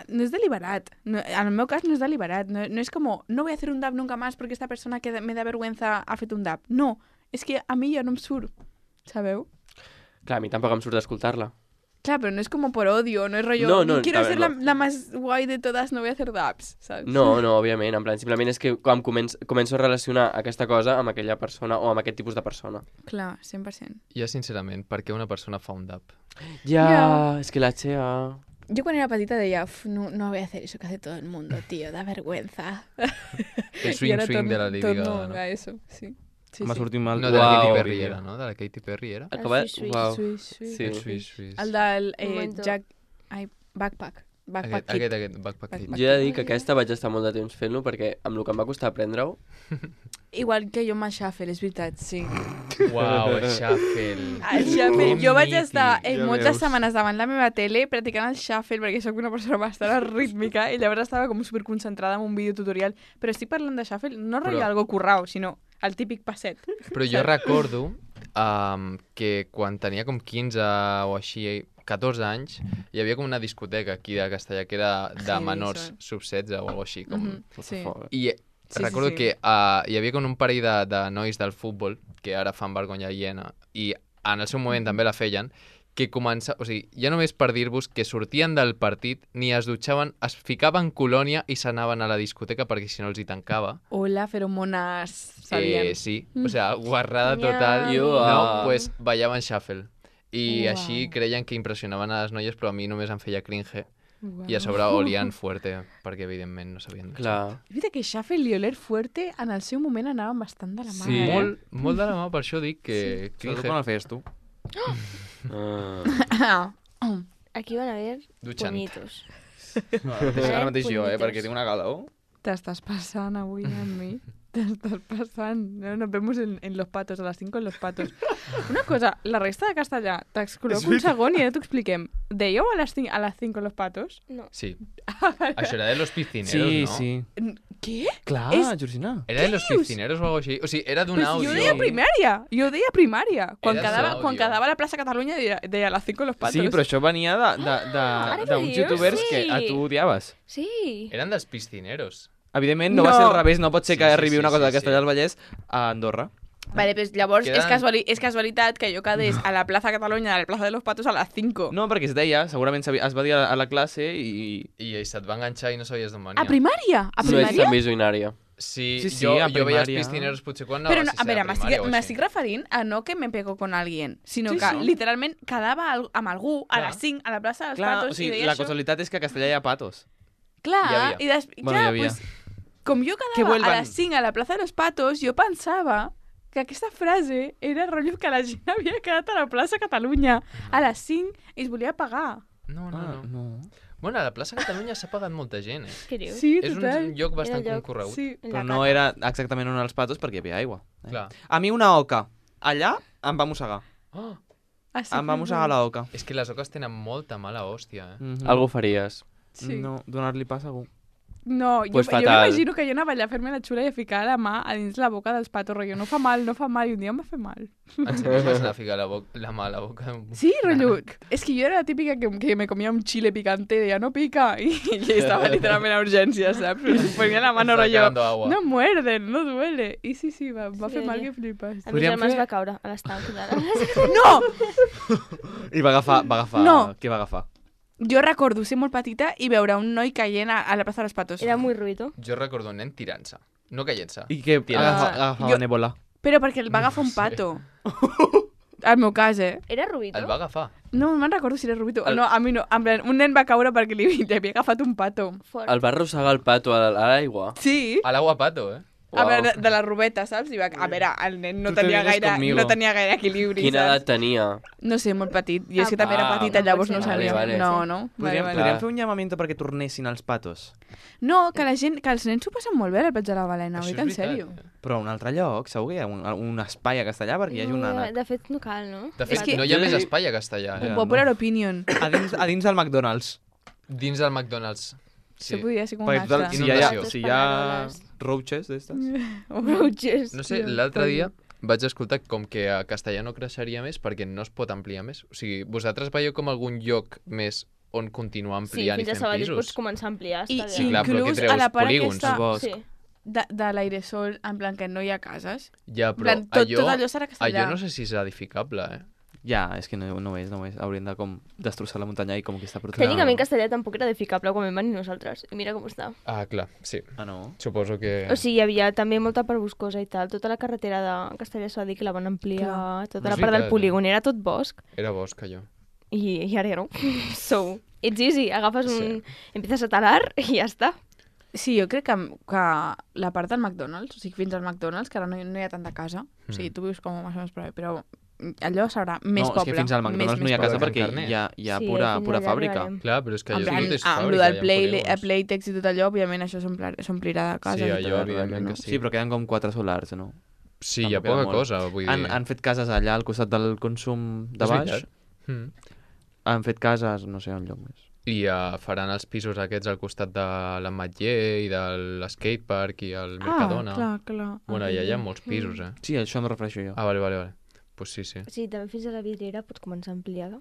Speaker 3: no és deliberat. No, en el meu cas no és deliberat. No és com, no voy a hacer un dab nunca más porque esta persona que me da vergüenza ha fet un dab. No, és que a mi ja no em surt, sabeu?
Speaker 4: Clar, a mi tampoc em surt d'escoltar-la.
Speaker 3: Clar, pero no es como por odio, no es rollo,
Speaker 4: No,
Speaker 3: quiero
Speaker 4: a ver,
Speaker 3: ser
Speaker 4: no.
Speaker 3: la más guay de todas, no voy a hacer dabs, ¿sabes?
Speaker 4: No, òbviament. En plan, simplement és que quan començo a relacionar aquesta cosa amb aquella persona o amb aquest tipus de persona.
Speaker 3: Clar, 100%.
Speaker 5: Jo, sincerament, per què una persona fa un dab?
Speaker 4: Ja,
Speaker 3: Ja.
Speaker 4: és que la Chea...
Speaker 3: Yo cuando era petita deia, no voy a hacer eso que hace todo el mundo, tío, da vergüenza.
Speaker 5: El swing de la Lady Gaga, no?
Speaker 3: A eso, sí. Sí,
Speaker 6: M'ha
Speaker 3: sí.
Speaker 6: sortit mal.
Speaker 5: No, de la Katy
Speaker 4: Uau.
Speaker 5: Perry era, no? De la Katy Perry era?
Speaker 4: Acabat...
Speaker 2: Swiss,
Speaker 4: Uau.
Speaker 3: Swiss.
Speaker 4: Sí.
Speaker 5: El Swiss.
Speaker 3: El del
Speaker 2: Momento.
Speaker 3: Jack... Ai, Backpack. Backpack Kid.
Speaker 5: Aquest Backpack Kid.
Speaker 4: Jo he de dir que aquesta vaig estar molt de temps fent-lo perquè amb el que em va costar aprendre-ho...
Speaker 3: Igual que jo amb el Shuffle, és veritat, sí.
Speaker 5: Uau, el Shuffle.
Speaker 3: El Shuffle.
Speaker 5: Que
Speaker 3: Jo vaig
Speaker 5: mític.
Speaker 3: estar
Speaker 6: Ja
Speaker 3: moltes
Speaker 6: veus.
Speaker 3: setmanes davant la meva tele practicant el Shuffle perquè sóc una persona bastant rítmica i llavors estava com superconcentrada en un videotutorial. Però estic parlant de Shuffle, no rotllo
Speaker 5: Però-
Speaker 3: algo currao, sinó el típic passet.
Speaker 5: Però jo recordo que quan tenia com 15 o així, 14 anys, hi havia com una discoteca aquí de Castellà que era de
Speaker 3: Sí,
Speaker 5: menors
Speaker 3: són.
Speaker 5: sub-16 o alguna així. Com...
Speaker 3: Sí.
Speaker 5: I
Speaker 3: Sí,
Speaker 5: recordo
Speaker 3: sí.
Speaker 5: que hi havia com un parell de nois del futbol que ara fan vergonya aliena i en el seu moment també la feien, que o sigui, ja només per dir-vos que sortien del partit, ni es dutxaven, es ficaven colònia i s'anaven a la discoteca perquè si no els hi tancava.
Speaker 3: Hola, feromonas salien.
Speaker 5: Sí, o sea, guarrada total.
Speaker 2: Nyam.
Speaker 5: No, pues ballaven shuffle. I
Speaker 3: Uau.
Speaker 5: així creien que impressionaven a les noies, però a mi només em feia cringe.
Speaker 3: Uau.
Speaker 5: I a sobre olien fuerte, perquè evidentment no sabien dutxar.
Speaker 4: Clar.
Speaker 3: És veritat que Shuffle i Oler Fuerte en el seu moment anaven bastant de la mà.
Speaker 4: Sí.
Speaker 5: Molt de la mà, per això dic que
Speaker 6: Sobretot
Speaker 5: cringe.
Speaker 6: quan el feies tu.
Speaker 2: Aquí van a haver
Speaker 5: Dutxant.
Speaker 2: puñitos.
Speaker 6: Ara mateix jo,
Speaker 2: puñetos.
Speaker 6: perquè tinc una calor.
Speaker 3: T'estàs passant avui amb mi. T'estàs passant. No, nos vemos en Los Patos, a les 5 en Los Patos. Una cosa, la resta de castellà, t'excloc un segon i ara t'ho expliquem. Dèieu a les 5 en Los Patos?
Speaker 2: No.
Speaker 5: Sí. Això era de los piscineros,
Speaker 6: Sí,
Speaker 5: no?
Speaker 6: sí.
Speaker 3: Què?
Speaker 6: Clar,
Speaker 3: És-
Speaker 6: Georgina.
Speaker 5: Era de los
Speaker 3: dius?
Speaker 5: piscineros o algo així. O sigui, era d'un
Speaker 3: Pues
Speaker 5: àudio.
Speaker 3: jo deia primària. Jo deia primària. Quan
Speaker 5: Era
Speaker 3: quedava,
Speaker 5: àudio.
Speaker 3: quan quedava a la plaça Catalunya deia a les 5 en Los Patos.
Speaker 6: Sí, però això venia
Speaker 2: Ara que
Speaker 6: d'uns
Speaker 2: dius,
Speaker 6: youtubers
Speaker 2: sí.
Speaker 6: que a tu odiaves.
Speaker 2: Sí.
Speaker 5: Eren dels piscineros.
Speaker 6: Evidentment, no va ser al revés, no pot ser que
Speaker 5: Sí, sí,
Speaker 6: arribi
Speaker 5: sí,
Speaker 6: una cosa
Speaker 5: sí,
Speaker 6: de Castellà
Speaker 5: sí.
Speaker 6: del Vallès a Andorra.
Speaker 3: Vale, pues llavors
Speaker 5: Queden-
Speaker 3: és casualitat que jo quedés a la plaça Catalunya, a la plaça de los Patos a les 5.
Speaker 6: No, perquè es deia, segurament es va dir a la classe i...
Speaker 5: I se't va enganxar i no sabies d'on venia.
Speaker 3: A primària? A
Speaker 4: No és
Speaker 3: primària?
Speaker 4: tan visionària.
Speaker 5: Sí,
Speaker 6: Sí, sí,
Speaker 5: jo,
Speaker 6: a
Speaker 5: jo veia els
Speaker 6: primària.
Speaker 5: piscineros potser quan anava
Speaker 3: Però
Speaker 5: a
Speaker 3: no, a
Speaker 5: sisè
Speaker 3: veure,
Speaker 5: de primària o així.
Speaker 3: m'estic referint a no que me pego con alguien, sinó
Speaker 6: Sí,
Speaker 3: que
Speaker 6: sí.
Speaker 3: literalment quedava amb algú a
Speaker 5: Clar.
Speaker 3: les 5 a la plaça dels
Speaker 6: Clar,
Speaker 3: Patos
Speaker 6: o sigui,
Speaker 3: i deia
Speaker 6: la
Speaker 3: això.
Speaker 6: casualitat és que a Castellà hi ha patos.
Speaker 3: Clar,
Speaker 5: Hi havia.
Speaker 3: i
Speaker 6: Bueno,
Speaker 3: clar,
Speaker 6: hi havia.
Speaker 3: pues, com jo
Speaker 6: Que
Speaker 3: quedava
Speaker 6: vuelvan.
Speaker 3: a les 5 a la plaça de los Patos, jo pensava que aquesta frase era rotllo que la gent havia quedat a la plaça Catalunya a les 5 i es volia pagar.
Speaker 5: No, no,
Speaker 6: Ah,
Speaker 5: no.
Speaker 6: no.
Speaker 5: Bueno, a la plaça Catalunya s'ha pagat molta gent,
Speaker 2: Què dius?
Speaker 3: Sí,
Speaker 5: És
Speaker 3: total.
Speaker 5: un lloc bastant
Speaker 2: Era el lloc,
Speaker 5: concorregut.
Speaker 3: Sí.
Speaker 2: En
Speaker 6: Però
Speaker 2: la
Speaker 6: no
Speaker 2: cata.
Speaker 6: era exactament on els patos perquè hi havia aigua.
Speaker 5: Clar.
Speaker 6: A mi una oca allà em va mossegar.
Speaker 5: Oh,
Speaker 3: Així
Speaker 6: Em va
Speaker 3: que-
Speaker 6: mossegar la oca.
Speaker 5: és que les oques tenen molta mala hòstia,
Speaker 6: Mhm.
Speaker 4: Algú faries.
Speaker 3: Sí.
Speaker 6: No, donar-li pas a algú.
Speaker 3: No,
Speaker 4: Pues
Speaker 3: jo
Speaker 4: fatal.
Speaker 3: m'imagino que jo anava allà a fer-me la xula i a ficar la mà a dins la boca dels patos, rotllo, no fa mal, i un dia em va fer mal.
Speaker 5: En sèrio, vas anar a ficar la mà a la boca?
Speaker 3: Sí, rotllo, és que jo era la típica que me comia un chile picante i deia, no pica, i estava literalment a urgències, saps? Però si ponia la mano,
Speaker 5: Estava
Speaker 3: rotllo,
Speaker 5: quedando agua.
Speaker 3: no muerden, no duele. I sí, va
Speaker 2: Sí,
Speaker 3: fer mal
Speaker 2: sí.
Speaker 3: que flipes.
Speaker 2: A mi
Speaker 6: Podríem
Speaker 2: germà es
Speaker 6: fer-
Speaker 2: va caure a l'estanc.
Speaker 3: No!
Speaker 6: I va agafar...
Speaker 3: No.
Speaker 6: Què va agafar?
Speaker 3: Jo recordo ser molt petita i veure un noi caient a la plaça dels Patos.
Speaker 2: Era muy ruido.
Speaker 5: Jo recordo un nen tirant-se, no caient-se.
Speaker 6: I què?
Speaker 5: Tirant-se.
Speaker 6: Agafava
Speaker 3: Jo-
Speaker 6: Nebola.
Speaker 3: Però perquè el va agafar un pato. Al meu cas, eh?
Speaker 2: Era ruido?
Speaker 5: El va agafar.
Speaker 3: No me'n recordo si era Rubito.
Speaker 4: El-
Speaker 3: No, a mi no. En plan, un nen va caure perquè li havia agafat un pato.
Speaker 2: Fort.
Speaker 4: El va arrossegar el pato a l'aigua.
Speaker 3: Sí.
Speaker 5: A l'agua pato, eh?
Speaker 3: A veure, de la rubeta, saps? I va, a veure, el nen no
Speaker 6: Tu te
Speaker 3: tenia,
Speaker 6: vienes conmigo.
Speaker 3: no tenia gaire equilibri,
Speaker 4: Quina
Speaker 3: saps?
Speaker 4: edat tenia?
Speaker 3: No sé, molt petit. I és que també era
Speaker 4: Ah,
Speaker 3: petita,
Speaker 2: no
Speaker 3: llavors
Speaker 2: pot
Speaker 3: no
Speaker 2: ser.
Speaker 3: sabia.
Speaker 4: Vale, vale.
Speaker 3: No, no. Vale,
Speaker 6: Podríem
Speaker 3: vale.
Speaker 6: fer un llamamiento perquè tornessin els patos.
Speaker 3: No, que la gent, que els nens s'ho passen molt bé al Platja de la Balena,
Speaker 5: Això
Speaker 3: oi,
Speaker 5: és
Speaker 3: en
Speaker 5: veritat,
Speaker 3: sèrio.
Speaker 5: eh?
Speaker 6: Però a un altre lloc, segur que hi ha un espai a Castellà perquè hi hagi un
Speaker 2: No,
Speaker 6: ànec.
Speaker 2: de fet, no cal, no?
Speaker 5: De fet,
Speaker 3: que-
Speaker 5: no hi ha més espai a castellà.
Speaker 6: Ja,
Speaker 5: Eh?
Speaker 3: Popular opinion.
Speaker 6: A dins del McDonald's.
Speaker 5: Dins del McDonald's.
Speaker 3: Això
Speaker 5: Sí.
Speaker 3: podria ser com un
Speaker 6: Perquè total,
Speaker 3: acte.
Speaker 6: si hi ha,
Speaker 5: Inundació.
Speaker 6: si hi ha roaches d'estes...
Speaker 2: Roaches.
Speaker 5: No sé, l'altre dia vaig escoltar com que a castellà no creixeria més perquè no es pot ampliar més. O sigui, vosaltres veieu com algun lloc més on continuar
Speaker 2: Sí,
Speaker 5: ampliant
Speaker 2: fins
Speaker 5: i
Speaker 2: a
Speaker 5: fent
Speaker 2: Sabadell
Speaker 5: pisos?
Speaker 2: pots començar a ampliar.
Speaker 3: I,
Speaker 2: Està
Speaker 5: Sí,
Speaker 2: bé.
Speaker 5: clar, però què
Speaker 3: inclús
Speaker 5: treus?
Speaker 3: a la part
Speaker 5: Polígons,
Speaker 3: aquesta
Speaker 6: bosc.
Speaker 2: Sí.
Speaker 3: de l'airesol, en plan que no hi ha cases.
Speaker 5: Ja,
Speaker 3: En
Speaker 5: però
Speaker 3: plan, tot allò serà castellà.
Speaker 5: allò no sé si és edificable, eh?
Speaker 6: Ja, és que no és. Haurien de com destrossar la muntanya i com que està protegida.
Speaker 2: Tècnicament Castellà tampoc era edificable quan vam venir nosaltres. I mira com està.
Speaker 5: Ah, clar, sí.
Speaker 6: Ah, no?
Speaker 5: Suposo que...
Speaker 2: O sigui, hi havia també molta part boscosa i tal. Tota la carretera de Castellà s'ha dit que la van ampliar.
Speaker 3: Clar.
Speaker 2: Tota
Speaker 5: No
Speaker 2: la
Speaker 5: és
Speaker 2: part del
Speaker 5: veritat,
Speaker 2: polígon. Era tot bosc.
Speaker 5: Era bosc, allò.
Speaker 2: i ara ja no. So, it's easy, agafes empiezas a talar i ja està.
Speaker 3: Sí, jo crec que la part del McDonald's, o sigui, fins al McDonald's, que ara no hi ha tanta casa, o sigui, tu vius com més o menys prou bé, però allò serà més poble.
Speaker 6: No, és que fins al McDonald's no hi ha casa perquè hi ha pura fàbrica.
Speaker 5: Clar, però és que allò
Speaker 3: amb
Speaker 5: és
Speaker 3: el del Playtex i tot allò, òbviament això s'omplirà de casa.
Speaker 5: Sí, allò evidentment que sí.
Speaker 6: Sí, però queden com 4 solars, no?
Speaker 5: Sí, hi ha poca cosa, vull dir...
Speaker 6: Han fet cases allà al costat del consum de baix. Han fet cases, no sé, un lloc més.
Speaker 5: I faran els pisos aquests al costat de l'Ametller i de l'skatepark i el Mercadona.
Speaker 3: Clar.
Speaker 5: Bueno, allà hi ha molts pisos, eh?
Speaker 6: Sí, això em refereixo jo.
Speaker 5: Ah, vale. Pues sí.
Speaker 2: Sí, també fins a la vidriera pots començar ampliada.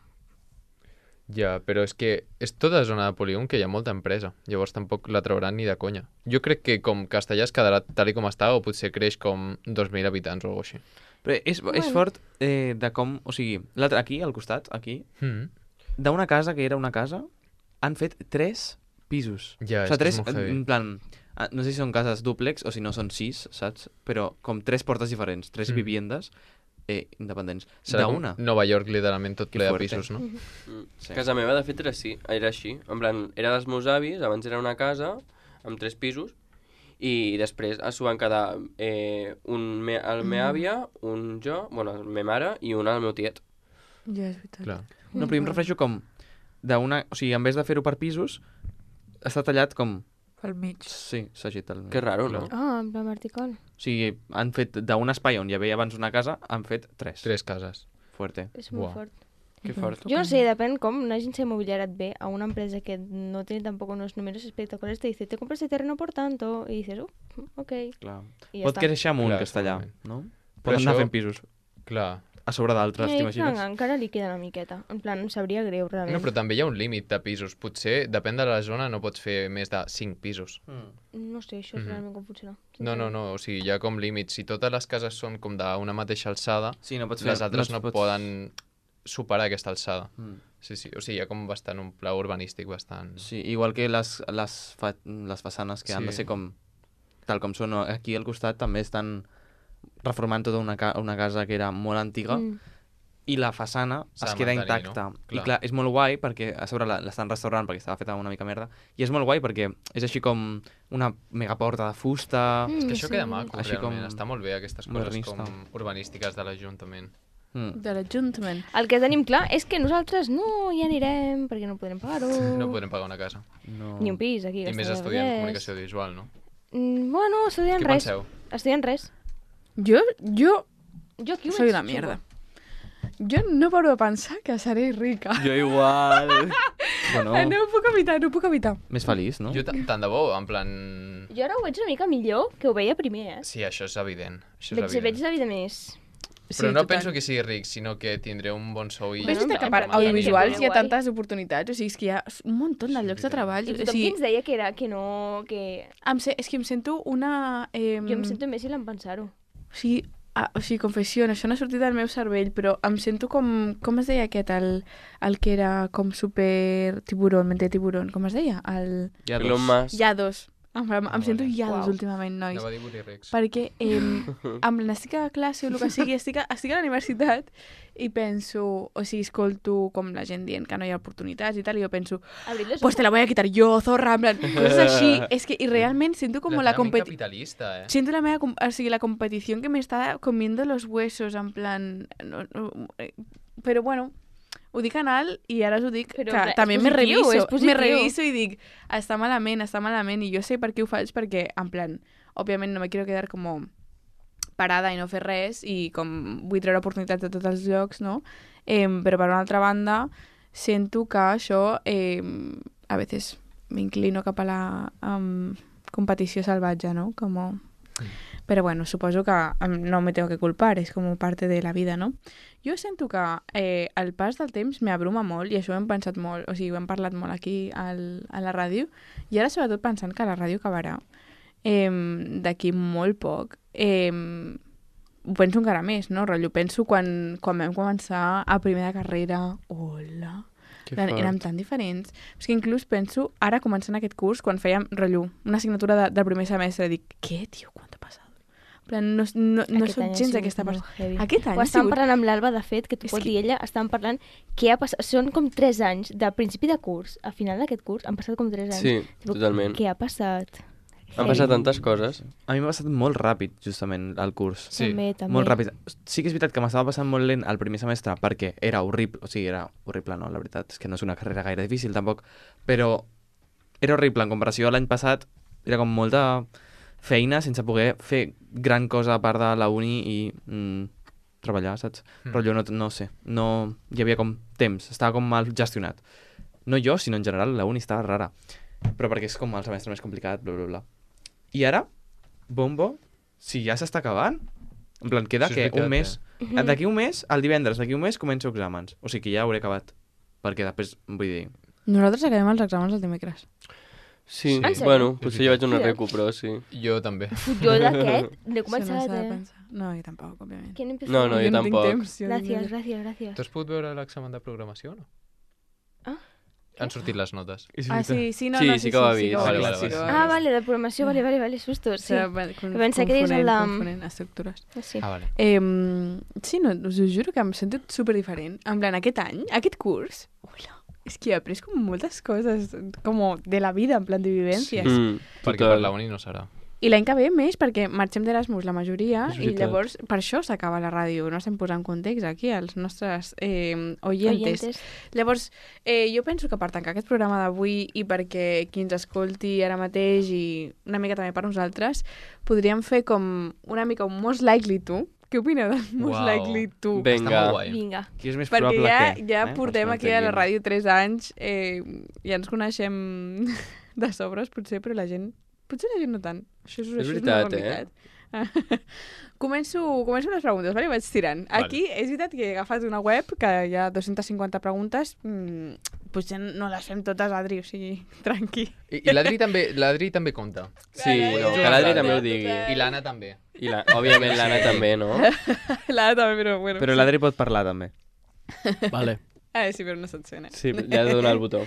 Speaker 5: Ja, però és que és tota zona de polígon que hi ha molta empresa. Llavors tampoc la trauran ni de conya. Jo crec que com Castellà es quedarà tal com està o potser creix com 2.000 habitants o alguna cosa així.
Speaker 6: Però és fort de com... O sigui, aquí, al costat, aquí, d'una casa que era una casa, han fet 3 pisos.
Speaker 5: Ja,
Speaker 6: o sigui, 3,
Speaker 5: és molt heavy.
Speaker 6: en plan... No sé si són cases dúplex o si no són 6, saps? Però com 3 portes diferents, 3 viviendes independents.
Speaker 5: Serà com
Speaker 6: d'una.
Speaker 5: Nova York, literalment, tot
Speaker 6: Que
Speaker 5: ple de
Speaker 6: fuerte.
Speaker 5: pisos, no?
Speaker 6: Sí.
Speaker 4: Casa meva, de fet, era així. En plan, era dels meus avis, abans era una casa amb 3 pisos, i després s'ho van quedar el meva àvia, un jo, bueno, la meva mare i un el meu tiet.
Speaker 3: Ja, és veritat.
Speaker 5: Clar.
Speaker 6: No, però jo em refereixo com d'una... O sigui, en vez de fer-ho per pisos, està tallat com...
Speaker 3: Pel mig.
Speaker 6: Sí, s'agita el mig.
Speaker 4: Que raro, no?
Speaker 2: Ah, en plan vertical.
Speaker 6: O sigui, han fet d'un espai on hi havia abans una casa, han fet 3.
Speaker 5: 3 cases.
Speaker 6: Fuerte.
Speaker 2: És molt
Speaker 5: Buah.
Speaker 2: fort.
Speaker 6: Que fort.
Speaker 2: Jo no sé, depèn com una agència immobiliària et ve a una empresa que no tiene tampoco unos números espectaculares, te dice, te compras este terreno por tanto, y dices, ok.
Speaker 6: Clar.
Speaker 2: I ja
Speaker 6: Pot
Speaker 2: està.
Speaker 6: créixer amunt,
Speaker 5: Clar,
Speaker 6: Castellà,
Speaker 5: segurament.
Speaker 6: no?
Speaker 5: Però
Speaker 6: Poden anar
Speaker 5: això-
Speaker 6: fent pisos
Speaker 5: Clar.
Speaker 6: a sobre d'altres, t'imagines?
Speaker 2: Encara li queda una miqueta. En plan, em sabria greu, realment.
Speaker 5: No, però també hi ha un límit de pisos. Potser, depèn de la zona, no pots fer més de 5 pisos.
Speaker 2: No sé, això és realment com funciona.
Speaker 5: No, o sigui, hi ha com límits. Si totes les cases són com d'una mateixa alçada,
Speaker 6: Sí, no pots fer...
Speaker 5: les altres no
Speaker 6: pots-
Speaker 5: poden superar aquesta alçada.
Speaker 6: Mm.
Speaker 5: Sí, o sigui, hi ha com bastant un pla urbanístic bastant...
Speaker 6: Sí, igual que les façanes que han de
Speaker 5: Sí.
Speaker 6: ser com... Tal com són aquí al costat, també estan reformant tota una casa que era molt antiga i la façana
Speaker 5: S'ha
Speaker 6: es
Speaker 5: de
Speaker 6: queda
Speaker 5: mantenir,
Speaker 6: intacta.
Speaker 5: no?
Speaker 6: I
Speaker 5: Clar.
Speaker 6: clar, és molt guai perquè a sobre l'estan restaurant perquè estava feta una mica merda i és molt guai perquè és així com una megaporta de fusta...
Speaker 5: És que això queda maco,
Speaker 6: Així
Speaker 5: realment.
Speaker 6: com
Speaker 5: Està molt bé, aquestes coses
Speaker 6: modernista.
Speaker 5: com urbanístiques de l'Ajuntament.
Speaker 3: De l'Ajuntament.
Speaker 2: El que tenim clar és que nosaltres no hi anirem perquè no podrem pagar-ho.
Speaker 5: No podrem pagar una casa.
Speaker 6: No.
Speaker 2: Ni un pis aquí. a
Speaker 5: I més
Speaker 2: Castellar del
Speaker 5: estudiant
Speaker 2: Vallès.
Speaker 5: comunicació audiovisual, no?
Speaker 2: Bueno, estudiant
Speaker 5: Què
Speaker 2: res.
Speaker 5: penseu?
Speaker 2: Estudiant res.
Speaker 3: Jo
Speaker 2: Jo aquí ho
Speaker 3: soy
Speaker 2: veig
Speaker 3: una mierda. Jo no paro de pensar que seré rica.
Speaker 6: Jo igual. Bueno,
Speaker 3: No ho puc evitar, no ho puc evitar.
Speaker 6: més feliç, no?
Speaker 5: Jo tant de bo, en plan...
Speaker 2: Jo ara ho veig una mica millor que ho veia primer,
Speaker 5: Sí, això és evident. Això és
Speaker 2: Veig
Speaker 5: evident.
Speaker 2: la vida més...
Speaker 5: Però no penso que sigui ric, sinó que tindré un bon sou i...
Speaker 3: És veritat que
Speaker 2: en
Speaker 3: per
Speaker 2: plan,
Speaker 3: audiovisuals hi ha
Speaker 2: guai.
Speaker 3: tantes oportunitats, o sigui, és que hi ha un munt de llocs de treball.
Speaker 2: I
Speaker 3: O
Speaker 2: tothom
Speaker 3: sigui,
Speaker 2: qui ens deia que era que no... Que...
Speaker 3: és que em sento una...
Speaker 2: Jo em sento imbècil en pensar-ho.
Speaker 3: O sigui, confessió, això no ha sortit del meu cervell, però em sento com es deia aquest, el que era com super tiburón, mente tiburón, com es deia?
Speaker 6: Ja
Speaker 4: Elon Musk.
Speaker 3: Llados. Em sento llados
Speaker 2: Uau.
Speaker 3: últimament, nois.
Speaker 5: Anava a dir Burirex.
Speaker 3: Perquè amb l'estic a classe o el que sigui, estic a la universitat i penso, o sigui, escolto com la gent dient que no hi ha oportunitats i tal, i jo penso,
Speaker 2: Abrir los
Speaker 3: pues te la voy a quitar yo, zorra, en plan, coses així. És que, i realment sento com la competició.
Speaker 5: capitalista,
Speaker 3: Siento la meva, o sigui, la competición que me está comiendo los huesos, en plan... Però bueno, ho dic en alt i ara us ho dic
Speaker 2: Però,
Speaker 3: que
Speaker 2: clar, és
Speaker 3: també me
Speaker 2: positiu,
Speaker 3: reviso.
Speaker 2: és positiu.
Speaker 3: Me reviso i dic, està malament, i jo sé per què ho faig, perquè, en plan, òbviament no me quiero quedar com parada i no fer res, i com vull treure oportunitats de tots els llocs, no? Però per una altra banda, sento que això, a veces m'inclino cap a la competició salvatge, no? Como... Pero bueno, suposo que no me tengo que culpar, és com parte de la vida, no? Jo sento que el pas del temps m'abruma molt, i això ho hem pensat molt, o sigui, ho hem parlat molt aquí a la ràdio, i ara sobretot pensant que la ràdio acabarà d'aquí molt poc, ho penso encara més, no? Rotllo, penso quan vam començar a primer de carrera, hola... Érem tan diferents. És que inclús penso, ara començant aquest curs, quan fèiem, rotllo, una assignatura del primer semestre, dic, què, tio, quant ha passat? En plan, no
Speaker 2: Aquest
Speaker 3: soc
Speaker 2: any ha
Speaker 3: gens
Speaker 2: sigut
Speaker 3: aquesta
Speaker 2: molt
Speaker 3: persona.
Speaker 2: heavy.
Speaker 3: Aquest any
Speaker 2: Ho
Speaker 3: ha
Speaker 2: estàvem
Speaker 3: sigut...
Speaker 2: parlant amb l'Alba, de fet, que t'ho pot dir ella, estàvem parlant què ha passat. Són com 3 anys, de principi de curs a final d'aquest curs, han passat com 3 anys.
Speaker 4: Sí,
Speaker 2: Tipo,
Speaker 4: totalment.
Speaker 2: Què ha passat?
Speaker 4: Han passat tantes coses.
Speaker 6: A mi m'ha passat molt ràpid, justament, el curs.
Speaker 5: Sí.
Speaker 2: També.
Speaker 6: Molt ràpid. Sí que és veritat que m'estava passant molt lent el primer semestre perquè era horrible, o sigui, era horrible, no, la veritat, és que no és una carrera gaire difícil, tampoc, però era horrible en comparació a l'any passat, era com molta feina sense poder fer gran cosa a part de la uni i treballar, saps? Però jo no sé, no hi havia com temps, estava com mal gestionat. No jo, sinó en general, la uni estava rara, però perquè és com el semestre més complicat, bla, bla, bla. I ara, bombo, si ja s'està acabant, en plan, queda
Speaker 5: Això és
Speaker 6: que
Speaker 5: veritat,
Speaker 6: un mes... D'aquí un mes, el divendres, d'aquí un mes començo exàmens. O sigui que ja hauré acabat. Perquè després, vull dir...
Speaker 3: Nosaltres acabem els exàmens el dimecres.
Speaker 4: Sí,
Speaker 5: En
Speaker 2: sèrio?
Speaker 4: bueno, potser jo vaig una
Speaker 2: Sí.
Speaker 4: recu, però sí.
Speaker 5: Jo també.
Speaker 2: Jo d'aquest no he
Speaker 3: Això no
Speaker 2: començat,
Speaker 3: s'ha de
Speaker 2: eh?
Speaker 3: pensar. No, jo tampoc, òbviament.
Speaker 2: ¿Quién empezó?
Speaker 4: No, no, jo
Speaker 3: no tinc
Speaker 4: tampoc.
Speaker 3: temps. Jo
Speaker 2: Gràcies.
Speaker 5: Tu has pogut veure l'examen de programació o no?
Speaker 2: Ah?
Speaker 5: Han sortit les notes.
Speaker 3: Ah, sí, no,
Speaker 4: Sí,
Speaker 3: no,
Speaker 4: sí que ho ha vist.
Speaker 3: ho ha
Speaker 5: Vale,
Speaker 3: vist,
Speaker 5: vale,
Speaker 3: sí que ho
Speaker 5: vale.
Speaker 3: ha
Speaker 2: Ah,
Speaker 3: vist.
Speaker 2: vale, de programació, vale, susto, sí. Pensé que
Speaker 3: Confonent,
Speaker 2: deies el de-
Speaker 3: confonent estructures.
Speaker 2: Sí.
Speaker 5: Ah, vale.
Speaker 3: Sí, no, us ho juro que em sento superdiferent. En plan, aquest any, aquest curs, ula, és que he après com moltes coses, com de la vida, en plan de vivències.
Speaker 5: Perquè per la uni no serà.
Speaker 3: I l'any que ve més, perquè marxem d'Erasmus la majoria,
Speaker 4: És
Speaker 3: i
Speaker 4: veritat.
Speaker 3: llavors per això s'acaba la ràdio. No estem posant context aquí als nostres oyentes. Llavors, jo penso que per tancar aquest programa d'avui i perquè qui ens escolti ara mateix i una mica també per nosaltres, podríem fer com una mica un Most Likely To. Què opineu del Most
Speaker 5: Uau.
Speaker 3: Likely To?
Speaker 4: Vinga.
Speaker 5: Està molt guai.
Speaker 2: Vinga.
Speaker 6: Qui és més
Speaker 3: Perquè
Speaker 6: probable
Speaker 3: ja
Speaker 6: que...
Speaker 3: portem
Speaker 6: Els
Speaker 3: aquí a la
Speaker 6: mantinguin.
Speaker 3: ràdio 3 anys, ja ens coneixem de sobres, potser, però la gent... Potser la gent no tant. Això és
Speaker 4: veritat,
Speaker 3: una realitat. Començo les preguntes, vale? Vaig tirant.
Speaker 5: Vale.
Speaker 3: Aquí és veritat que he agafat una web que hi ha 250 preguntes. Potser no les fem totes, Adri, o sigui, tranqui.
Speaker 5: I l'Adri també compta.
Speaker 4: Sí, que l'Adri també ho digui.
Speaker 5: I l'Anna també.
Speaker 4: I òbviament l'Anna també, no?
Speaker 3: L'Ada també, però bueno.
Speaker 6: Però l'Adri pot parlar, també.
Speaker 4: Vale.
Speaker 3: Sí, però no se't sent,
Speaker 4: Sí, li has de donar el botó.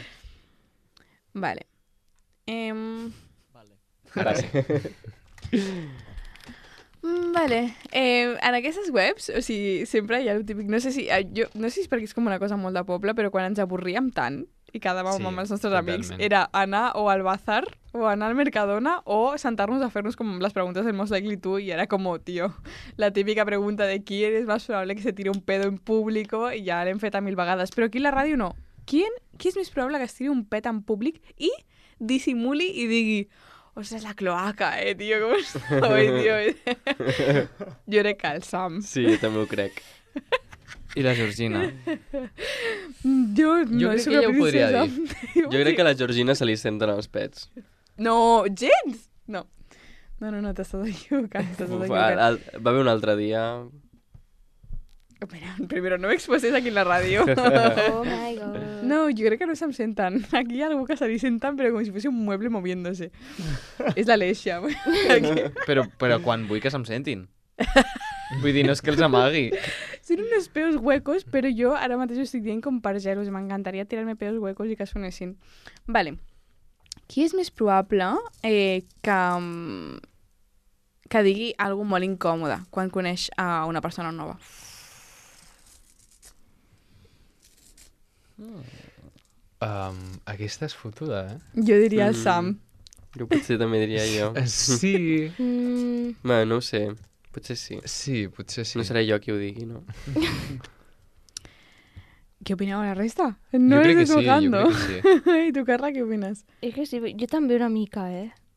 Speaker 3: Vale.
Speaker 4: Ara sí.
Speaker 3: Vale. En aquestes webs, o sigui, sempre hi ha el típic... No sé si és perquè és com una cosa molt de poble, però quan ens avorríem tant i quedàvem
Speaker 5: Sí,
Speaker 3: amb els nostres
Speaker 5: totalment.
Speaker 3: amics, era anar o al bazar o anar al Mercadona o sentar-nos a fer-nos com les preguntes del Most Likely To i era com, tío, la típica pregunta de qui eres más probable que se tire un pedo en público i ja l'hem fet a 1000 vegades. Però aquí a la ràdio no. Qui és més probable que es tiri un pet en públic i dissimuli i digui ostres, la cloaca, tio, com estoy, tio. Jo crec que el Sam.
Speaker 4: Sí, jo també ho crec.
Speaker 6: I la Georgina.
Speaker 3: Jo no
Speaker 5: crec
Speaker 3: soc
Speaker 5: que ella
Speaker 3: la
Speaker 5: ho podria
Speaker 3: princesa.
Speaker 4: Jo crec que a la Georgina se li senten els pets.
Speaker 3: No, gens! No, t'estàs equivocant,
Speaker 4: Va haver un altre dia...
Speaker 3: Espera, primero no m'exposes aquí en la ràdio.
Speaker 2: Oh my god.
Speaker 3: No, jo crec que no se'm senten. Aquí hi ha algú que se li senten, però com si fos un mueble moviéndose. És l'Aleixia.
Speaker 6: Però quan vull que se'm sentin. Vull dir, no és que els amagui.
Speaker 3: Són uns peus huecos, però jo ara mateix ho estic dient com per zeros. M'encantaria tirar-me peus huecos i que sonessin. Vale. Qui és més probable que digui alguna molt incòmode quan coneix a una persona nova?
Speaker 5: Aquesta és fotuda, eh?
Speaker 3: Jo diria el Sam.
Speaker 4: Jo potser també diria jo.
Speaker 5: Sí.
Speaker 4: Bé, no ho sé. Potser sí.
Speaker 5: Sí, potser sí.
Speaker 4: No seré jo qui ho digui, no?
Speaker 3: Què opineu la resta? No
Speaker 5: jo crec
Speaker 3: eres
Speaker 5: que sí,
Speaker 3: tocando.
Speaker 5: jo crec que sí.
Speaker 3: I tu, Carla, què opines?
Speaker 2: És que sí, jo també una mica,